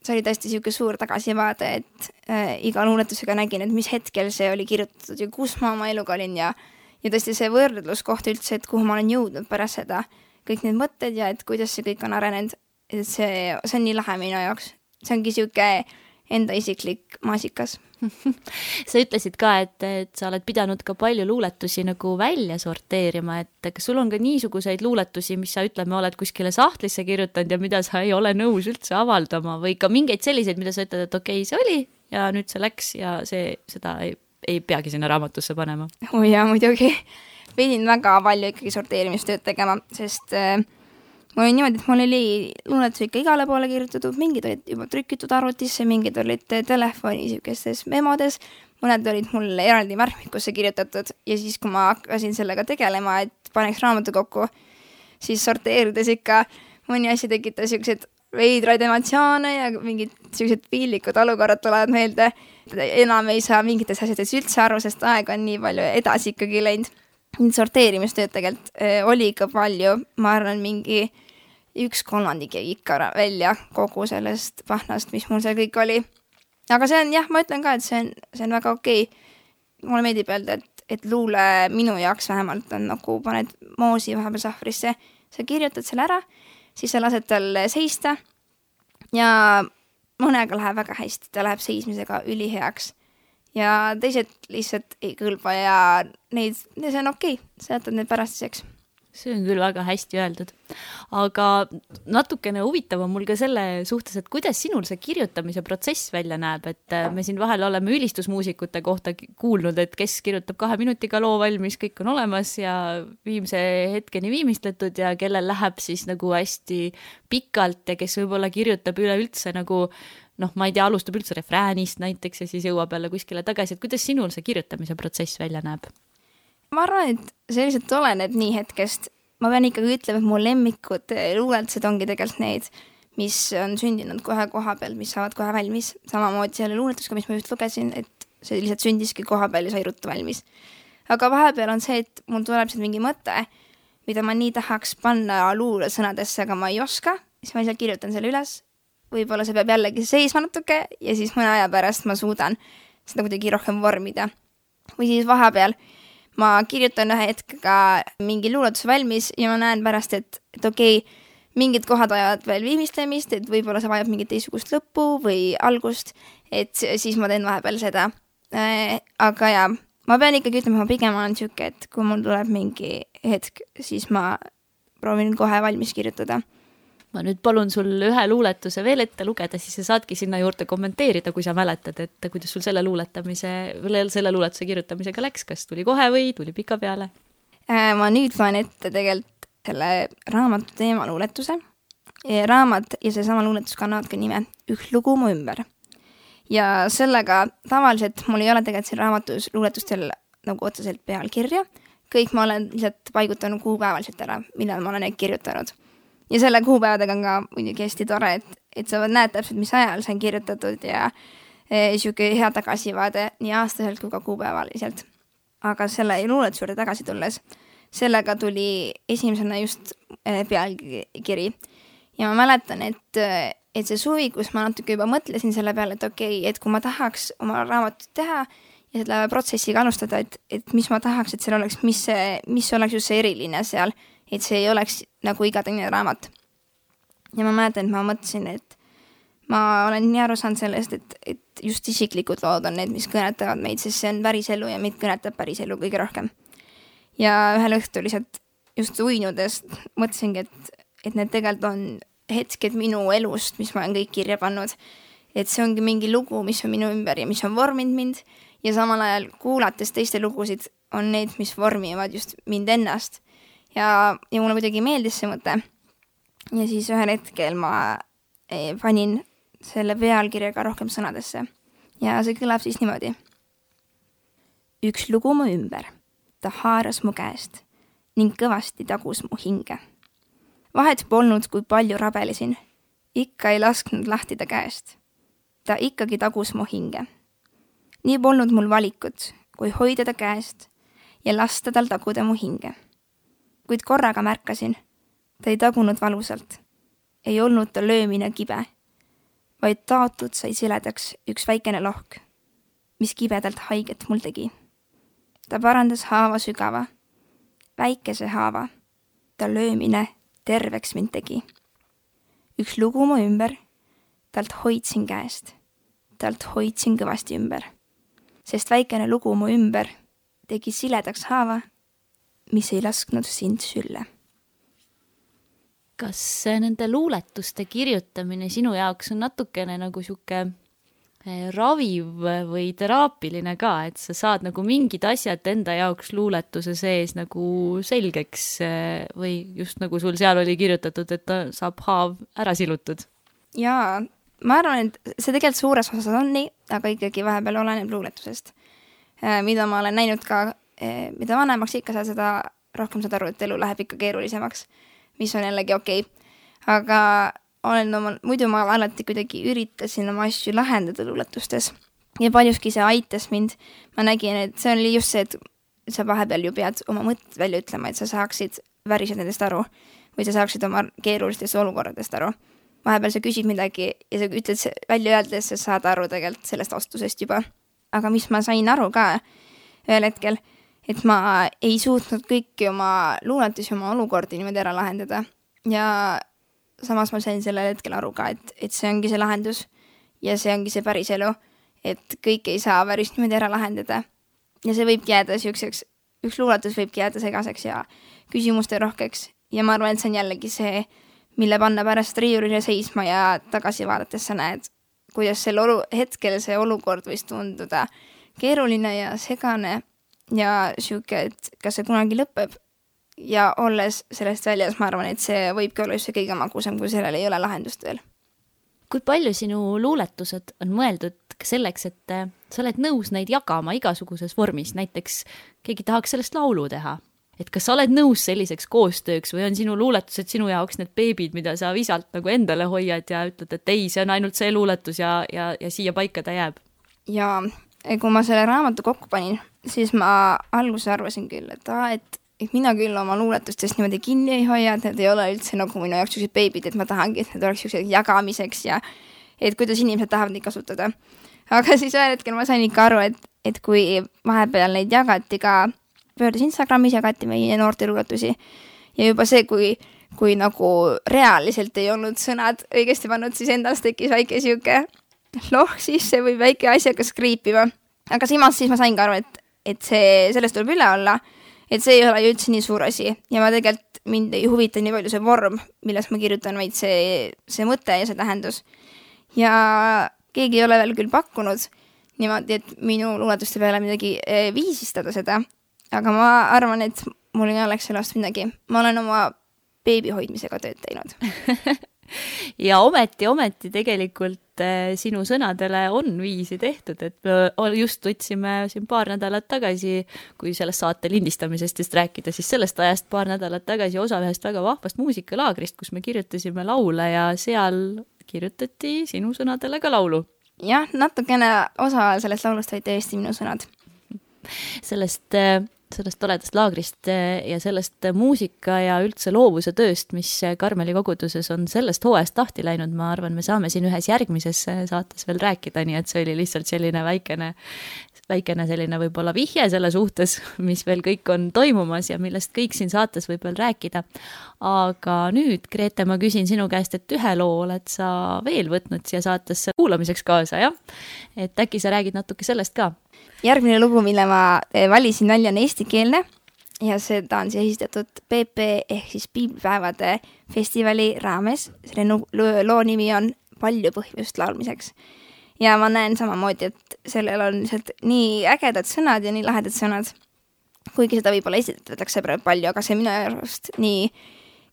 see oli tõesti siuke suur tagasivaade, et iga luuletusega nägin, et mis hetkel see oli kirjutatud ja kus ma oma eluga olin ja tõesti see võrdluskoht üldse, et kuhu ma olen jõudnud pärast seda, kõik need mõtted ja et kuidas see kõik on arenenud, et see on nii lahe minu jaoks. See ongi siuke enda isiklik maasikas. Sa ütlesid ka, et sa oled pidanud ka palju luuletusi nagu välja sorteerima, et kas sul on ka niisuguseid luuletusi, mis sa ütleme, oled kuskile sahtlisse kirjutanud ja mida sa ei ole nõus üldse avaldama või ka mingeid selliseid, mida sa ütled, et okei, see oli ja nüüd see läks ja seda ei peagi sinna raamatusse panema? Jaa, muidugi. Pidin väga palju ikkagi sorteerimistööd tegema, sest mul oli niimoodi, et mul oli luuletus ikka igale poole kirjutatud, mingid olid juba trükitud arvutisse, mingid olid telefoni niisugustes memodes, mõned olid mul eraldi märkmikusse kirjutatud ja siis, kui ma hakkasin sellega tegelema, et paneks raamatu kokku, siis sorteerides ikka mõni asi tekitas niisugused veidraid emotsioone ja mingid niisugused piinlikud olukorrad tulevad meelde. Enam ei saa mingites asjades üldse aru, sest aeg on nii palju edasi ikkagi läinud. Sorteerimistööd tegelikult oli ikka palju, ma arvan mingi 1/3 jäi ikka välja kogu sellest pahnast, mis mul seal kõik oli. Aga see on, jah, ma ütlen ka, et see on väga okei. Mulle meeldib öelda, et luule minu jaoks vähemalt on nagu paned moosi vahepeal sahvrisse, sa kirjutad selle ära, siis sa lased tal seista ja mõnega läheb väga hästi, ta läheb seismisega üliheaks. Ja teised lihtsalt ei kõlba ja see on okei, sa jätad need pärastiseks. See on küll väga hästi öeldud. Aga natukene huvitav on mul ka selle suhtes, et kuidas sinul see kirjutamise protsess välja näeb, et me siin vahel oleme ülistusmuusikute kohta kuulnud, et kes kirjutab 2 minutiga loo valmis, kõik on olemas ja viimse hetkeni viimistletud ja kellel läheb siis nagu hästi pikalt ja kes võib-olla kirjutab üleüldse nagu ma ei tea, alustab üldse refräänist näiteks ja siis jõuab jälle kuskile tagasi, et kuidas sinul see kirjutamise protsess välja näeb? Ma arvan, et see lihtsalt oleneb nii hetkest. Ma pean ikkagi ütlema, et mu lemmikud luuletused ongi tegelikult need, mis on sündinud kohe koha peal, mis saavad kohe valmis. Samamoodi selle luuletusega, mis ma just lugesin, et see lihtsalt sündiski koha peal ja sai ruttu valmis. Aga vahepeal on see, et mul tuleb sealt mingi mõte, mida ma nii tahaks panna luule sõnadesse, aga ma ei oska, siis ma lihtsalt kirjutan selle üles. Võib-olla see peab jällegi seisma natuke ja siis mõne aja pärast ma suudan seda kuidagi rohkem vormida. Või siis vahepeal ma kirjutan ühe hetkega mingi luuletuse valmis ja ma näen pärast, et okei, mingid kohad vajavad veel viimistlemist, et võib-olla see vajab mingit teisugust lõppu või algust, et siis ma teen vahepeal seda. Aga ja, ma pean ikkagi ütlema, ma pigem olen siuke, et kui mul tuleb mingi hetk, siis ma proovin kohe valmis kirjutada. Ma nüüd palun sul ühe luuletuse veel ette lugeda, siis sa saadki sinna juurde kommenteerida, kui sa mäletad, et kuidas sul selle luuletuse kirjutamisega läks, kas tuli kohe või tuli pika peale? Ma nüüd loen ette tegelikult selle raamatu teema luuletuse. Raamat ja see sama luuletus kannavad ka nime Üks lugu mu ümber. Ja sellega tavaliselt mul ei ole tegelikult siin raamatus luuletustel nagu otseselt pealkirja. Kõik ma olen lihtsalt paigutanud kuupäevaliselt ära, millal ma olen neid kirjutanud. Ja selle kuupäevadega on ka muidugi hästi tore, et sa näed täpselt, mis ajal see on kirjutatud ja siuke hea tagasivaade nii aastaselt kui ka kuupäevaliselt. Aga selle luuletuse juurde tagasi tulles, sellega tuli esimesena just pealkiri. Ja ma mäletan, et see suvi, kus ma natuke juba mõtlesin selle peale, et okei, et kui ma tahaks oma raamatut teha ja selle protsessiga alustada, et mis ma tahaks, et seal oleks, mis oleks just see eriline seal, et see ei oleks nagu iga teine raamat. Ja ma mäletan, et ma mõtlesin, et ma olen nii aru saanud sellest, et just isiklikud lood on need, mis kõnetavad meid, sest see on päriselu ja meid kõnetab päriselu kõige rohkem. Ja ühel õhtul lihtsalt just uinudes mõtlesingi, et need tegelikult on hetked minu elust, mis ma olen kõik kirja pannud. Et see ongi mingi lugu, mis on minu ümber ja mis on vorminud mind ja samal ajal kuulates teiste lugusid on need, mis vormivad just mind ennast. Ja mulle muidugi meeldis see mõte. Ja siis ühel hetkel ma panin selle pealkirjaga rohkem sõnadesse. Ja see kõlab siis niimoodi. Üks lugu mu ümber. Ta haaras mu käest ning kõvasti tagus mu hinge. Vahet polnud, kui palju rabelesin. Ikka ei lasknud lahti ta käest. Ta ikkagi tagus mu hinge. Nii polnud mul valikut, kui hoida ta käest ja lasta tal taguda mu hinge. Kuid korraga märkasin, ta ei tagunud valusalt. Ei olnud ta löömine kibe, vaid taotud sai siledaks üks väikene lohk, mis kibedalt haiget mul tegi. Ta parandas haava sügava, väikese haava, ta löömine terveks mind tegi. Üks lugu mu ümber, talt hoidsin käest, talt hoidsin kõvasti ümber, sest väikene lugu mu ümber tegi siledaks haava, mis ei lasknud sind sülle. Kas nende luuletuste kirjutamine sinu jaoks on natukene nagu siuke raviv või teraapiline ka, et sa saad nagu mingid asjad enda jaoks luuletuse sees nagu selgeks või just nagu sul seal oli kirjutatud, et ta saab haav ära silutud. Jaa, ma arvan, et see tegelikult suures osas on nii, aga ikkagi vahepeal oleneb luuletusest. Mida ma olen näinud ka, mida vanemaks ikka sa seda rohkem saad aru, et elu läheb ikka keerulisemaks, mis on jällegi okei. Aga muidu ma alati kuidagi üritasin oma asju lahendada luuletustes ja paljuski see aitas mind. Ma nägin, et see oli just see, et sa vahepeal ju pead oma mõtted välja ütlema, et sa saaksid väriselt nendest aru või sa saaksid oma keerulistest olukorradest aru. Vahepeal sa küsid midagi ja sa ütled välja öeldes, sa saad aru tegelikult sellest vastusest juba. Aga mis ma sain aru ka ühel hetkel, et ma ei suutnud kõiki oma luuletusi, oma olukordi niimoodi ära lahendada. Ja samas ma sain sellel hetkel aru ka, et see ongi see lahendus ja see ongi see päris elu, et kõik ei saa päris niimoodi ära lahendada. Ja see võibki jääda üks luuletus võibki jääda segaseks ja küsimuste rohkeks. Ja ma arvan, et see on jällegi see, mille panna pärast riiulile seisma ja tagasi vaadates sa näed, kuidas hetkel see olukord võis tunduda keeruline ja segane ja siuke, et kas see kunagi lõpeb. Ja olles sellest väljas, ma arvan, et see võibki olla just see kõige magusam, kui sellel ei ole lahendust veel. Kui palju sinu luuletused on mõeldud selleks, et sa oled nõus neid jagama igasuguses vormis, näiteks keegi tahaks sellest laulu teha? Et kas sa oled nõus selliseks koostööks või on sinu luuletused sinu jaoks need beebid, mida sa visalt nagu endale hoiad ja ütled, et ei, see on ainult see luuletus ja siia paika ta jääb? Ja kui ma selle raamatu kokku panin, siis ma alguses arvasin küll, et mina küll oma luuletustest niimoodi kinni ei hoia, et need ei ole üldse nagu minu jaoks sellised beebid, et ma tahangi, et need oleks sellised jagamiseks ja et kuidas inimesed tahavad neid kasutada. Aga siis ühel hetkel ma sain ikka aru, et kui vahepeal neid jagati ka pöördus Instagramis, jagati meie noorte luuletusi ja juba see, kui nagu reaalselt ei olnud sõnad õigesti pannud, siis endast tekkis väike siuke loh sisse või väike asjaga skriipima. Aga siis ma sain ka aru, et sellest tuleb üle olla, et see ei ole ju üldse nii suur asi ja ma tegelikult mind ei huvita nii palju see vorm, milles ma kirjutan, vaid see mõte ja see tähendus. Ja keegi ei ole veel küll pakkunud niimoodi, et minu luuletuste peale midagi viisistada seda, aga ma arvan, et mul ei oleks sellest midagi. Ma olen oma beebi hoidmisega tööd teinud. Ja ometi tegelikult sinu sõnadele on viisi tehtud, et me just võtsime siin paar nädalat tagasi, kui sellest saate lindistamisest just rääkida, siis sellest ajast paar nädalat tagasi osa ühest väga vahvast muusikalaagrist, kus me kirjutasime laule ja seal kirjutati sinu sõnadele ka laulu. Jah, natukene osa sellest laulust olid tõesti minu sõnad. Sellest toledast laagrist ja sellest muusika ja üldse loovuse tööst, mis Karmeli koguduses on sellest hooajast lahti läinud, ma arvan, me saame siin ühes järgmises saates veel rääkida, nii et see oli lihtsalt selline väikene selline võib-olla vihje selle suhtes, mis veel kõik on toimumas ja millest kõik siin saates võib veel rääkida. Aga nüüd, Grete, ma küsin sinu käest, et ühe loo oled sa veel võtnud siia saatesse kuulamiseks kaasa, jah? Et äkki sa räägid natuke sellest ka? Järgmine lugu, mille ma valisin välja, on eestikeelne ja seda on siis esitatud PP ehk siis Piiblipäevade festivali raames. Selle loo nimi on Palju põhjust laulmiseks. Ja ma näen samamoodi, et sellel on nii ägedad sõnad ja nii lahedad sõnad, kuigi seda võib-olla esitatakse palju, aga see minu arust nii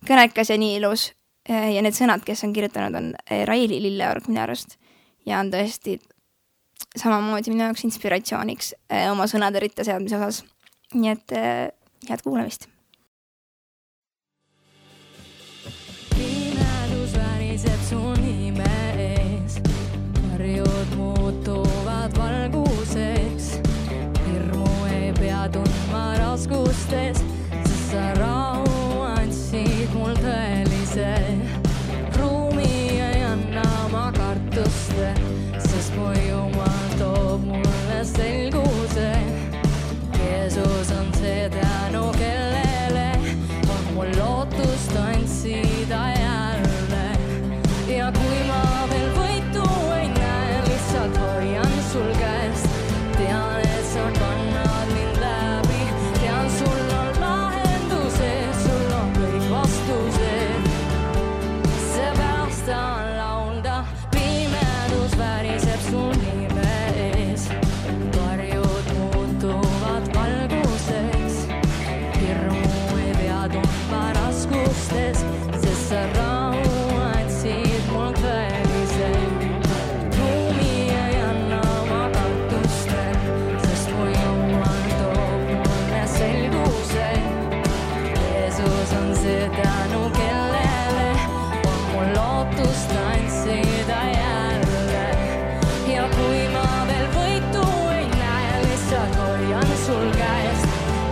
kõnekas ja nii ilus. Ja need sõnad, kes on kirjutanud, on Raili Lilleorg minu arust ja on tõesti samamoodi minu jaoks inspiratsiooniks oma sõnade ritta seadmise osas. Nii et head kuulamist. Pimedus väriseb su nime ees, varjud muutuvad valguseks, hirmu ei pea tundma raskustes, sest sa rahu andsid mul tõelise ruumi ei anna ma kartuste, sest mu Jumal toob mulle selguse. Jeesus on see tänu, kellele on mul lootust tantsida jälle. Ja kui ma veel võitu ei näe, lihtsalt hoian sul käest. Tean, et sa kannad mind läbi, tean sul on hoian sul käest.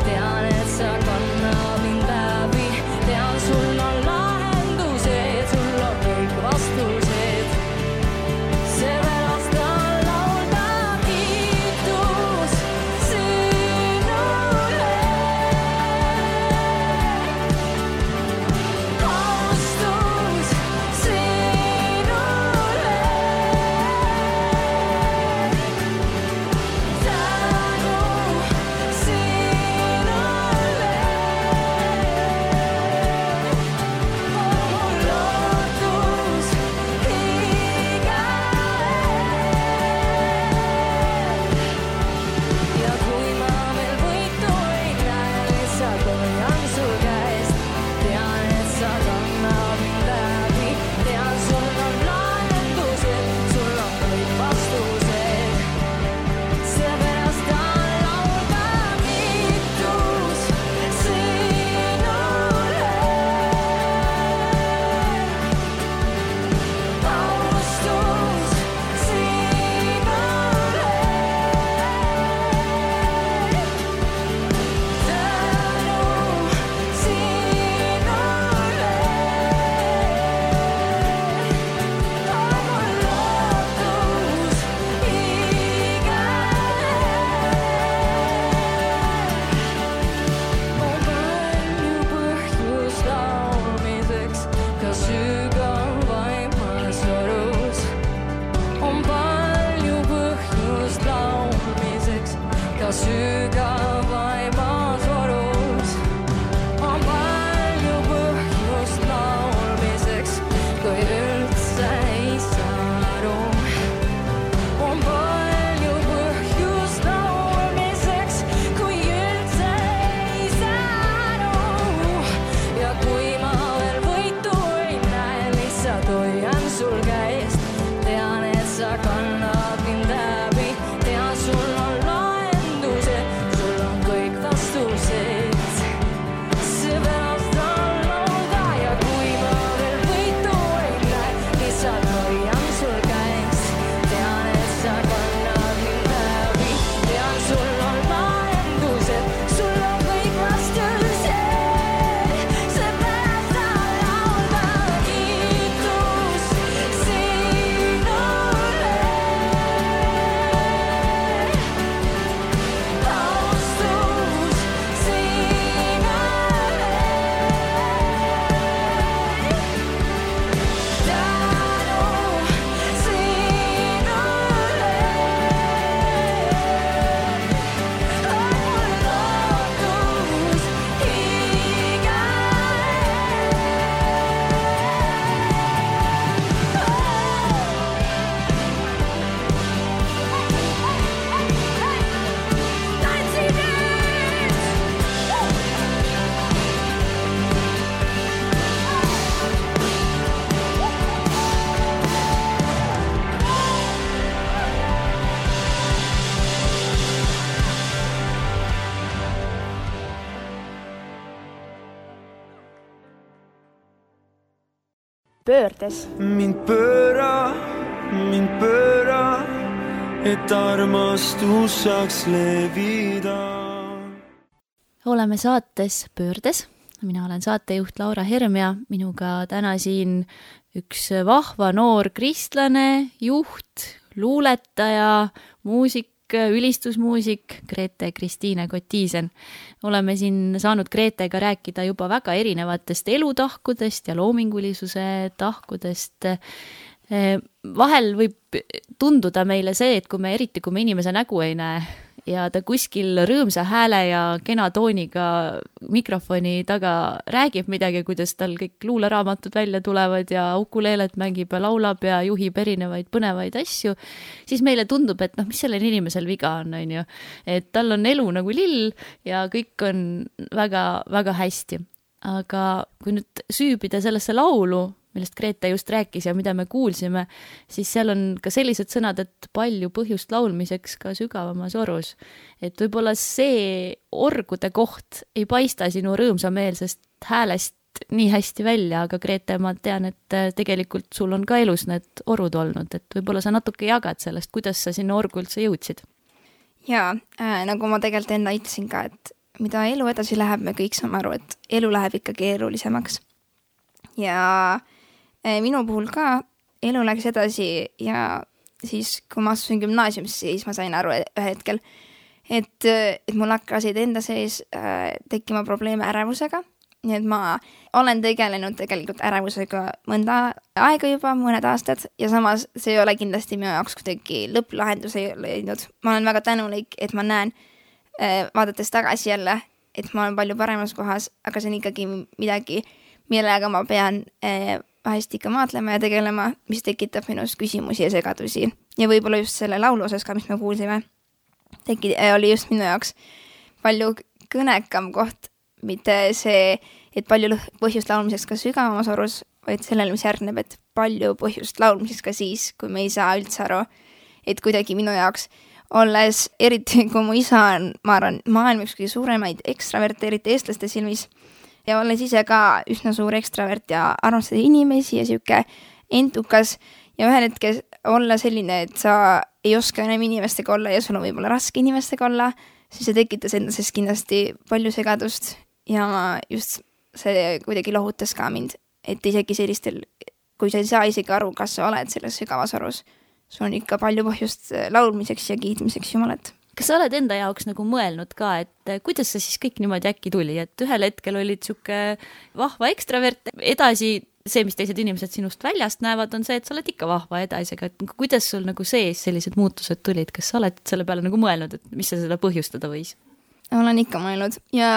Tean, et sa kannad mind läbi, tean, sul on lahendused, sul on kõik vastused. Seepärast on laulda kiitus sinule. Austus sinule. pöördes. mind pööra, et armastus saaks levida. Oleme saates Pöördes. Mina olen saatejuht Laura Herm ja minuga täna siin üks vahva noor kristlane, juht, luuletaja, muusik, ülistusmuusik Grete Kristiine Kotiisen. Oleme siin saanud Gretega rääkida juba väga erinevatest elutahkudest ja loomingulisuse tahkudest. Vahel võib tunduda meile see, et eriti kui me inimese nägu ei näe ja ta kuskil rõõmsa hääle ja kena tooniga mikrofoni taga räägib midagi, kuidas tal kõik luuleraamatud välja tulevad ja ukuleelet mängib ja laulab ja juhib erinevaid põnevaid asju, siis meile tundub, et mis sellel inimesel viga on, et tal on elu nagu lill ja kõik on väga, väga hästi. Aga kui nüüd süübida sellesse laulu, millest Grete just rääkis ja mida me kuulsime, siis seal on ka sellised sõnad, et palju põhjust laulmiseks ka sügavamas orus. Et võib-olla see orgude koht ei paista sinu rõõmsameelsest häälest nii hästi välja, aga Grete, ma tean, et tegelikult sul on ka elus need orud olnud, et võib-olla sa natuke jagad sellest, kuidas sa sinna orgu üldse jõudsid. Jaa, nagu ma tegelikult enne ütlesin ka, et mida elu edasi läheb, me kõik saame aru, et elu läheb ikka keerulisemaks. Ja minu puhul ka elu läks edasi ja siis, kui ma astusin gümnaasiumisse, siis ma sain aru ühe hetkel, et mul hakkasid enda sees tekkima probleeme ärevusega. Nii et ma olen tegelenud tegelikult ärevusega mõnda aega juba, mõned aastad, ja samas see ei ole kindlasti minu jaoks kuidagi lõpplahendus ei leidnud. Ma olen väga tänulik, et ma näen, vaadates tagasi jälle, et ma olen palju paremas kohas, aga see on ikkagi midagi, millega ma pean vahest ikka maatlema ja tegelema, mis tekitab minus küsimusi ja segadusi. Ja võib-olla just selle laulu osas ka, mis me kuulsime, oli just minu jaoks palju kõnekam koht, mitte see, et palju põhjust laulmiseks ka sügavamas orus, vaid sellele, mis järgneb, et palju põhjust laulmiseks ka siis, kui me ei saa üldse aru, et kuidagi minu jaoks, olles eriti, kui mu isa on, ma arvan, maailma üks kõige suuremaid ekstraverte, eriti eestlaste silmis, ja olles ise ka üsna suur ekstravert ja armastada inimesi ja siuke entukas ja ühel hetkel olla selline, et sa ei oska enam inimestega olla ja sul on võib-olla raske inimestega olla, siis see tekitas endases kindlasti palju segadust ja just see kuidagi lohutas ka mind, et isegi sellistel, kui sa ei saa isegi aru, kas sa oled selles sügavas orus, sul on ikka palju põhjust laulmiseks ja kiitmiseks Jumalat. Kas sa oled enda jaoks nagu mõelnud ka, et kuidas see siis kõik niimoodi äkki tuli, et ühel hetkel olid siuke vahva ekstravert, edasi see, mis teised inimesed sinust väljast näevad, on see, et sa oled ikka vahva edasi, aga kuidas sul nagu sees sellised muutused tulid, kas sa oled selle peale nagu mõelnud, et mis seda põhjustada võis? Olen ikka mõelnud ja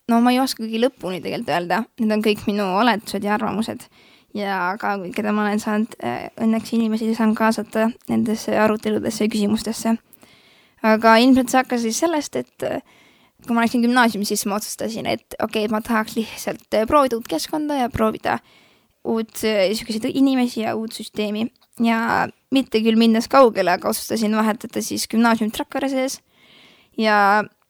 no ma ei oskagi lõpuni tegelikult öelda, need on kõik minu oletused ja arvamused ja ka keda ma olen saanud õnneks inimesi saan kaasata nendesse aruteludesse ja küsimustesse. Aga ilmselt see hakkas siis sellest, et kui ma läksin gümnaasiumi, siis ma otsustasin, et okei, ma tahaks lihtsalt proovida uut keskkonda ja proovida selliseid inimesi ja uut süsteemi ja mitte küll minnes kaugele, aga otsustasin vahetada siis gümnaasiumit Rakvere sees ja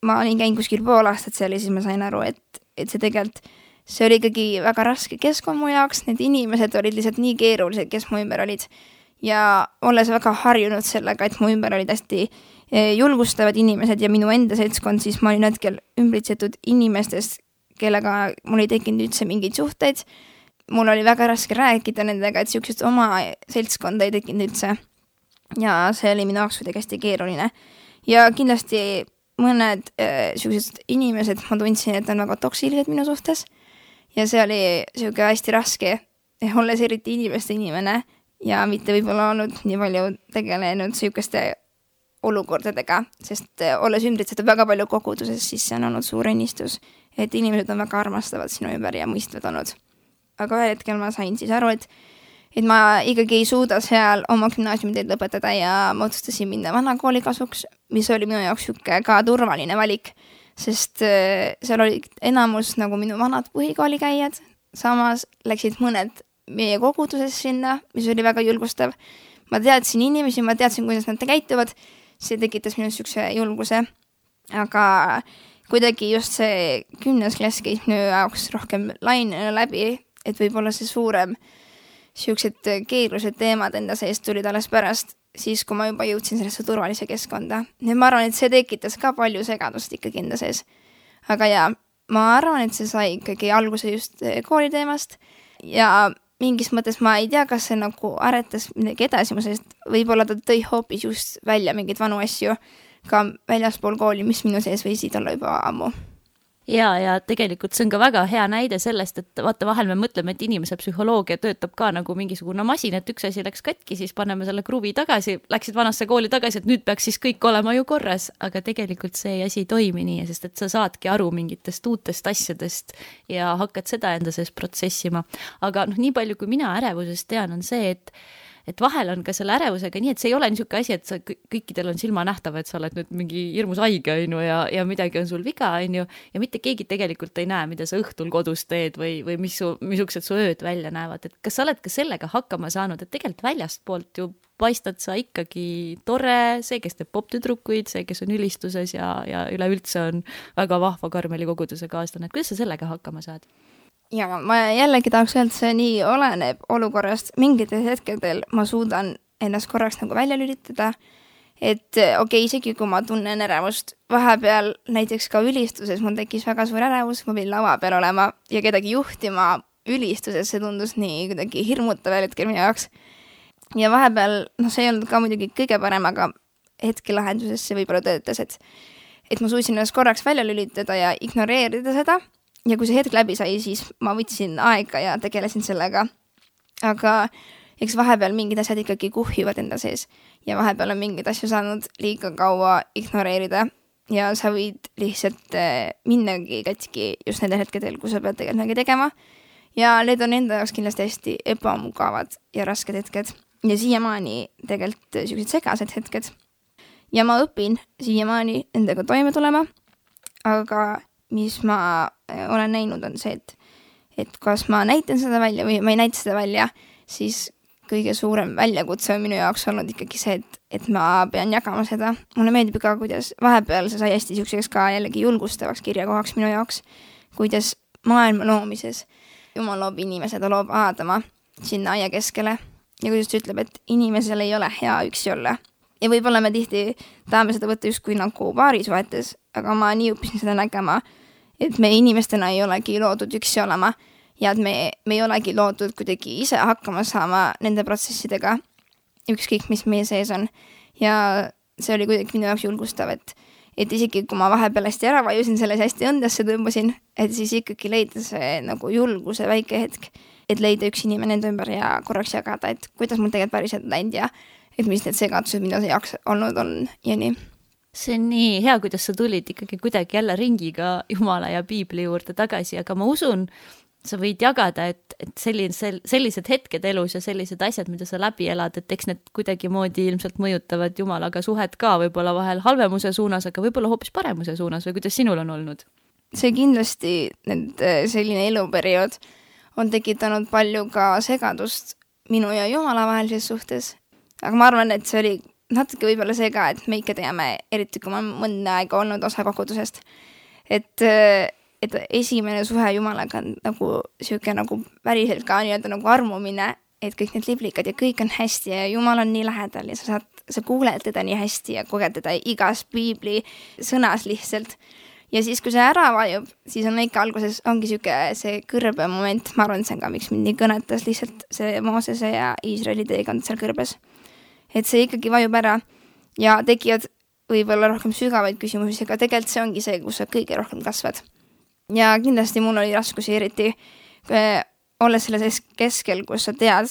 ma olin käinud kuskil pool aastat seal ja siis ma sain aru, et see tegelikult, see oli ikkagi väga raske keskkond mu jaoks, need inimesed olid lihtsalt nii keerulised, kes mu ümber olid ja olles väga harjunud sellega, et mu ümber olid hästi julgustavad inimesed ja minu enda seltskond, siis ma olin hetkel ümbritsetud inimestest, kellega mul ei tekkinud üldse mingeid suhteid. Mul oli väga raske rääkida nendega, et siuksest oma seltskonda ei tekkinud üldse. Ja see oli minu jaoks kuidagi hästi keeruline. Ja kindlasti mõned siuksed inimesed, ma tundsin, et on väga toksilised minu suhtes. Ja see oli siuke hästi raske, olles eriti inimeste inimene ja mitte võib-olla olnud nii palju tegelenud siukeste olukordadega, sest olles ümbritsetud väga palju koguduses, siis see on olnud suur õnnistus, et inimesed on väga armastavad sinu ümber ja mõistvad olnud. Aga ühel hetkel ma sain siis aru, et ma ikkagi ei suuda seal oma gümnaasiumiteed lõpetada ja ma otsustasin minna vanakooli kasuks, mis oli minu jaoks siuke ka turvaline valik, sest seal oli enamus nagu minu vanad põhikooli käijad, samas läksid mõned meie koguduses sinna, mis oli väga julgustav. Ma teadsin inimesi, ma teadsin, kuidas nad käituvad, see tekitas minu siukse julguse, aga kuidagi just see 10. klass käis minu jaoks rohkem lainena läbi, et võib-olla see suurem siuksed keerulised teemad enda seest tulid alles pärast, siis kui ma juba jõudsin sellesse turvalise keskkonda. Ja ma arvan, et see tekitas ka palju segadust ikkagi enda sees. Aga ja, ma arvan, et see sai ikkagi alguse just kooliteemast ja mingis mõttes ma ei tea, kas see nagu aretas midagi edasi, sest võib-olla ta tõi hoopis just välja mingeid vanu asju ka väljaspool kooli, mis minu sees võisid olla juba ammu. Ja tegelikult see on ka väga hea näide sellest, et vaata vahel me mõtleme, et inimese psühholoogia töötab ka nagu mingisugune masin, et üks asi läks katki, siis paneme selle kruvi tagasi, läksid vanasse kooli tagasi, et nüüd peaks siis kõik olema ju korras, aga tegelikult see asi ei toimi nii, sest et sa saadki aru mingitest uutest asjadest ja hakkad seda enda sees protsessima. Aga nii palju, kui mina ärevusest tean, on see, et vahel on ka selle ärevusega nii, et see ei ole niisugune asi, et sa kõikidel on silma nähtav, et sa oled nüüd mingi hirmus haige ja midagi on sul viga, ja mitte keegi tegelikult ei näe, mida sa õhtul kodus teed või missugused su ööd välja näevad. Et kas sa oled ka sellega hakkama saanud, et tegelikult väljastpoolt ju paistad sa ikkagi tore, see, kes teeb poptüdrukuid, see, kes on ülistuses ja üleüldse on väga vahva Karmeli koguduse kaaslane. Kuidas sa sellega hakkama saad? Ja ma jällegi tahaks öelda, see nii oleneb olukorrast. Mingites hetkedel ma suudan ennast korraks nagu välja lülitada et isegi kui ma tunnen ärevust, vahepeal näiteks ka ülistuses mul tekkis väga suur ärevus, ma pidin lava peal olema ja kedagi juhtima ülistuses, see tundus nii kuidagi hirmutav hetkel minu jaoks. Ja vahepeal, see ei olnud ka muidugi kõige parem, aga hetkelahenduses see võib-olla töötas, et ma suutsin ennast korraks välja lülitada ja ignoreerida seda ja kui see hetk läbi sai, siis ma võtsin aega ja tegelesin sellega. Aga eks vahepeal mingid asjad ikkagi kuhjuvad enda sees ja vahepeal on mingid asju saanud liiga kaua ignoreerida ja sa võid lihtsalt minnagi katki just nendel hetkedel, kui sa pead tegelikult midagi tegema ja need on enda jaoks kindlasti hästi ebamugavad ja rasked hetked ja siiamaani tegelikult sellised segased hetked ja ma õpin siiamaani endaga toime tulema, aga mis ma olen näinud on see, et kas ma näitan seda välja või ma ei näita seda välja, siis kõige suurem väljakutse on minu jaoks olnud ikkagi see, et ma pean jagama seda. Mulle meeldib ka, kuidas vahepeal see sai hästi siukseks ka jällegi julgustavaks kirjakohaks minu jaoks, kuidas maailma loomises Jumal loob inimese, ta loob Aadama sinna aia keskele ja kuidas ta ütleb, et inimesel ei ole hea üksi olla. Ja võib-olla me tihti tahame seda võtta justkui nagu paarisuhetes, aga ma nii õppisin seda nägema, et me inimestena ei olegi loodud üksi olema ja et me ei olegi loodud kuidagi ise hakkama saama nende protsessidega, ükskõik mis meie sees on. Ja see oli kuidagi minu jaoks julgustav, et isegi kui ma vahepeal hästi ära vajusin, selles hästi õndesse tõmbasin, et siis ikkagi leida see nagu julguse väike hetk, et leida üks inimene enda ümber ja korraks jagada, et kuidas mul tegelikult päriselt läinud ja et mis need segadused minu jaoks olnud on ja nii. See on nii hea, kuidas sa tulid ikkagi kuidagi jälle ringiga Jumala ja Piibli juurde tagasi, aga ma usun, sa võid jagada, et sellised hetked elus ja sellised asjad, mida sa läbi elad, et eks need kuidagi moodi ilmselt mõjutavad Jumalaga suhet ka võib-olla vahel halvemuse suunas, aga võib-olla hoopis paremuse suunas või kuidas sinul on olnud? See kindlasti selline eluperiood on tekitanud palju ka segadust minu ja Jumala vahelises suhtes, aga ma arvan, et see oli natuke võib-olla see ka, et me ikka teame, eriti kui ma mõnda aega olnud osa kogudusest, et esimene suhe Jumalaga on nagu siuke nagu päriselt ka nii-öelda nagu armumine, et kõik need liblikad ja kõik on hästi ja Jumal on nii lähedal ja sa kuuled teda nii hästi ja koged teda igas Piibli sõnas lihtsalt. Ja siis, kui see ära vajub, siis on ikka alguses ongi siuke see kõrbe moment, ma arvan, see on ka, miks mind nii kõnetas lihtsalt see Moosese ja Iisraeli teekond seal kõrbes. Et see ikkagi vajub ära ja tekivad võib-olla rohkem sügavaid küsimusi, aga tegelikult see ongi see, kus sa kõige rohkem kasvad. Ja kindlasti mul oli raskusi eriti olles selles keskel, kus sa tead,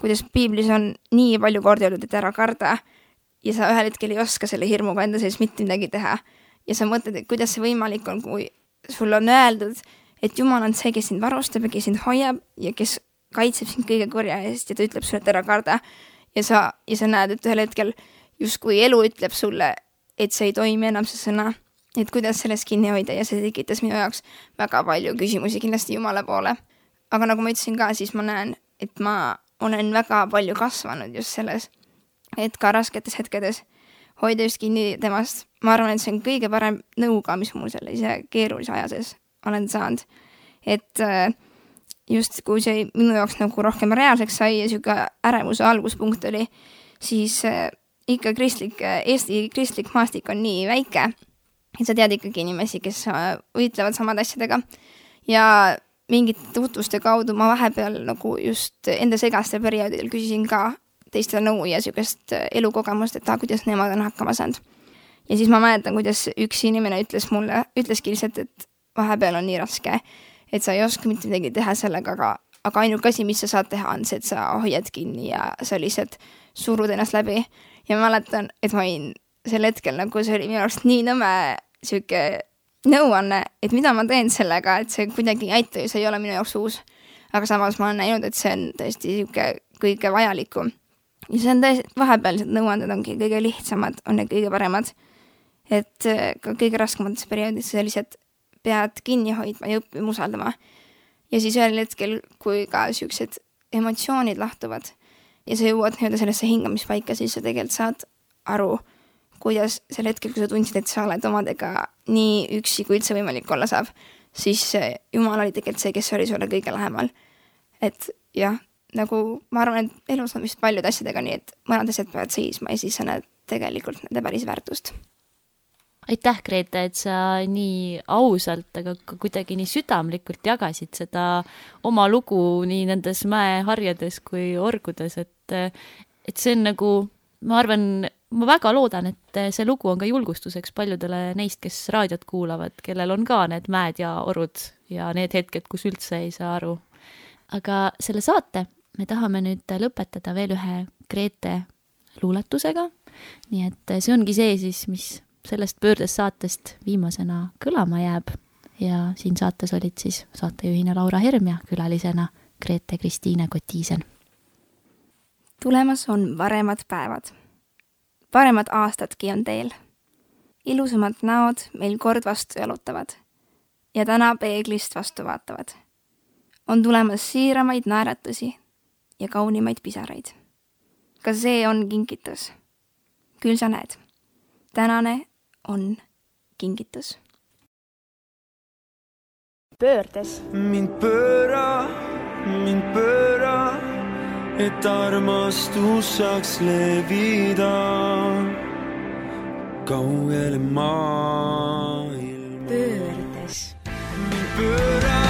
kuidas Piiblis on nii palju kordi öeldud, et ära karda ja sa ühel hetkel ei oska selle hirmuga enda sees mitte midagi teha. Ja sa mõtled, et kuidas see võimalik on, kui sul on öeldud, et Jumal on see, kes sind varustab ja kes sind hoiab ja kes kaitseb sind kõige kurja eest ja ta ütleb sulle, et ära karda. Ja sa näed, et ühel hetkel justkui elu ütleb sulle, et see ei toimi enam see sõna, et kuidas sellest kinni hoida ja see tekitas minu jaoks väga palju küsimusi kindlasti Jumala poole. Aga nagu ma ütlesin ka, siis ma näen, et ma olen väga palju kasvanud just selles, et ka rasketes hetkedes hoida just kinni temast. Ma arvan, et see on kõige parem nõuga, mis mul selle ise keerulise aja sees olen saanud. Et just kui see minu jaoks nagu rohkem reaalseks sai ja siuke ärevuse alguspunkt oli, siis ikka Eesti kristlik maastik on nii väike, et sa tead ikkagi inimesi, kes võitlevad samad asjadega ja mingite tutvuste kaudu ma vahepeal nagu just enda segaste perioodidel küsisin ka teistele nõu ja siukest elukogemust, et kuidas nemad on hakkama saanud. Ja siis ma mäletan, kuidas üks inimene ütleski lihtsalt, et vahepeal on nii raske, et sa ei oska mitte midagi teha sellega, aga ainuke asi, mis sa saad teha, on see, et sa hoiad kinni ja sa lihtsalt surud ennast läbi. Ja ma mäletan, et ma olin sel hetkel, nagu see oli minu arust nii nõme siuke nõuanne, et mida ma teen sellega, et see kuidagi ei aita ja see ei ole minu jaoks uus. Aga samas ma olen näinud, et see on tõesti siuke kõige vajalikum. Ja see on tõesti, vahepealsed nõuanded ongi kõige lihtsamad, on need kõige paremad. Et ka kõige raskemates perioodis sa lihtsalt pead kinni hoidma ja õppima usaldama. Ja siis ühel hetkel, kui ka siuksed emotsioonid lahtuvad ja sa jõuad nii-öelda sellesse hingamispaika, siis sa tegelikult saad aru, kuidas sel hetkel, kui sa tundsid, et sa oled omadega nii üksi, kui üldse võimalik olla saab, siis Jumal oli tegelikult see, kes oli sulle kõige lähemal. Et jah, nagu ma arvan, et elus on vist paljud asjadega nii, et mõned asjad peavad seisma ja siis sa näed tegelikult nende päris väärtust. Aitäh, Grete, et sa nii ausalt, aga ka kuidagi nii südamlikult jagasid seda oma lugu nii nendes mäeharjades kui orgudes, et see on nagu, ma arvan, ma väga loodan, et see lugu on ka julgustuseks paljudele neist, kes raadiot kuulavad, kellel on ka need mäed ja orud ja need hetked, kus üldse ei saa aru. Aga selle saate me tahame nüüd lõpetada veel ühe Grete luuletusega, nii et see ongi see siis, mis sellest pöördes saatest viimasena kõlama jääb ja siin saates olid siis saatejuhina Laura Herm ja külalisena Grete Kristiine Kotiisen. Tulemas on paremad päevad. Paremad aastadki on teel. Ilusamad näod meil kord vastu jalutavad ja täna peeglist vastu vaatavad. On tulemas siiramaid naeratusi ja kaunimaid pisaraid. Ka see on kingitus. Küll sa näed. Tänane on kingitus. Pöördes. Mind pööra, et armastus saaks levida kaugele maailma. Pöördes. Mind pööra,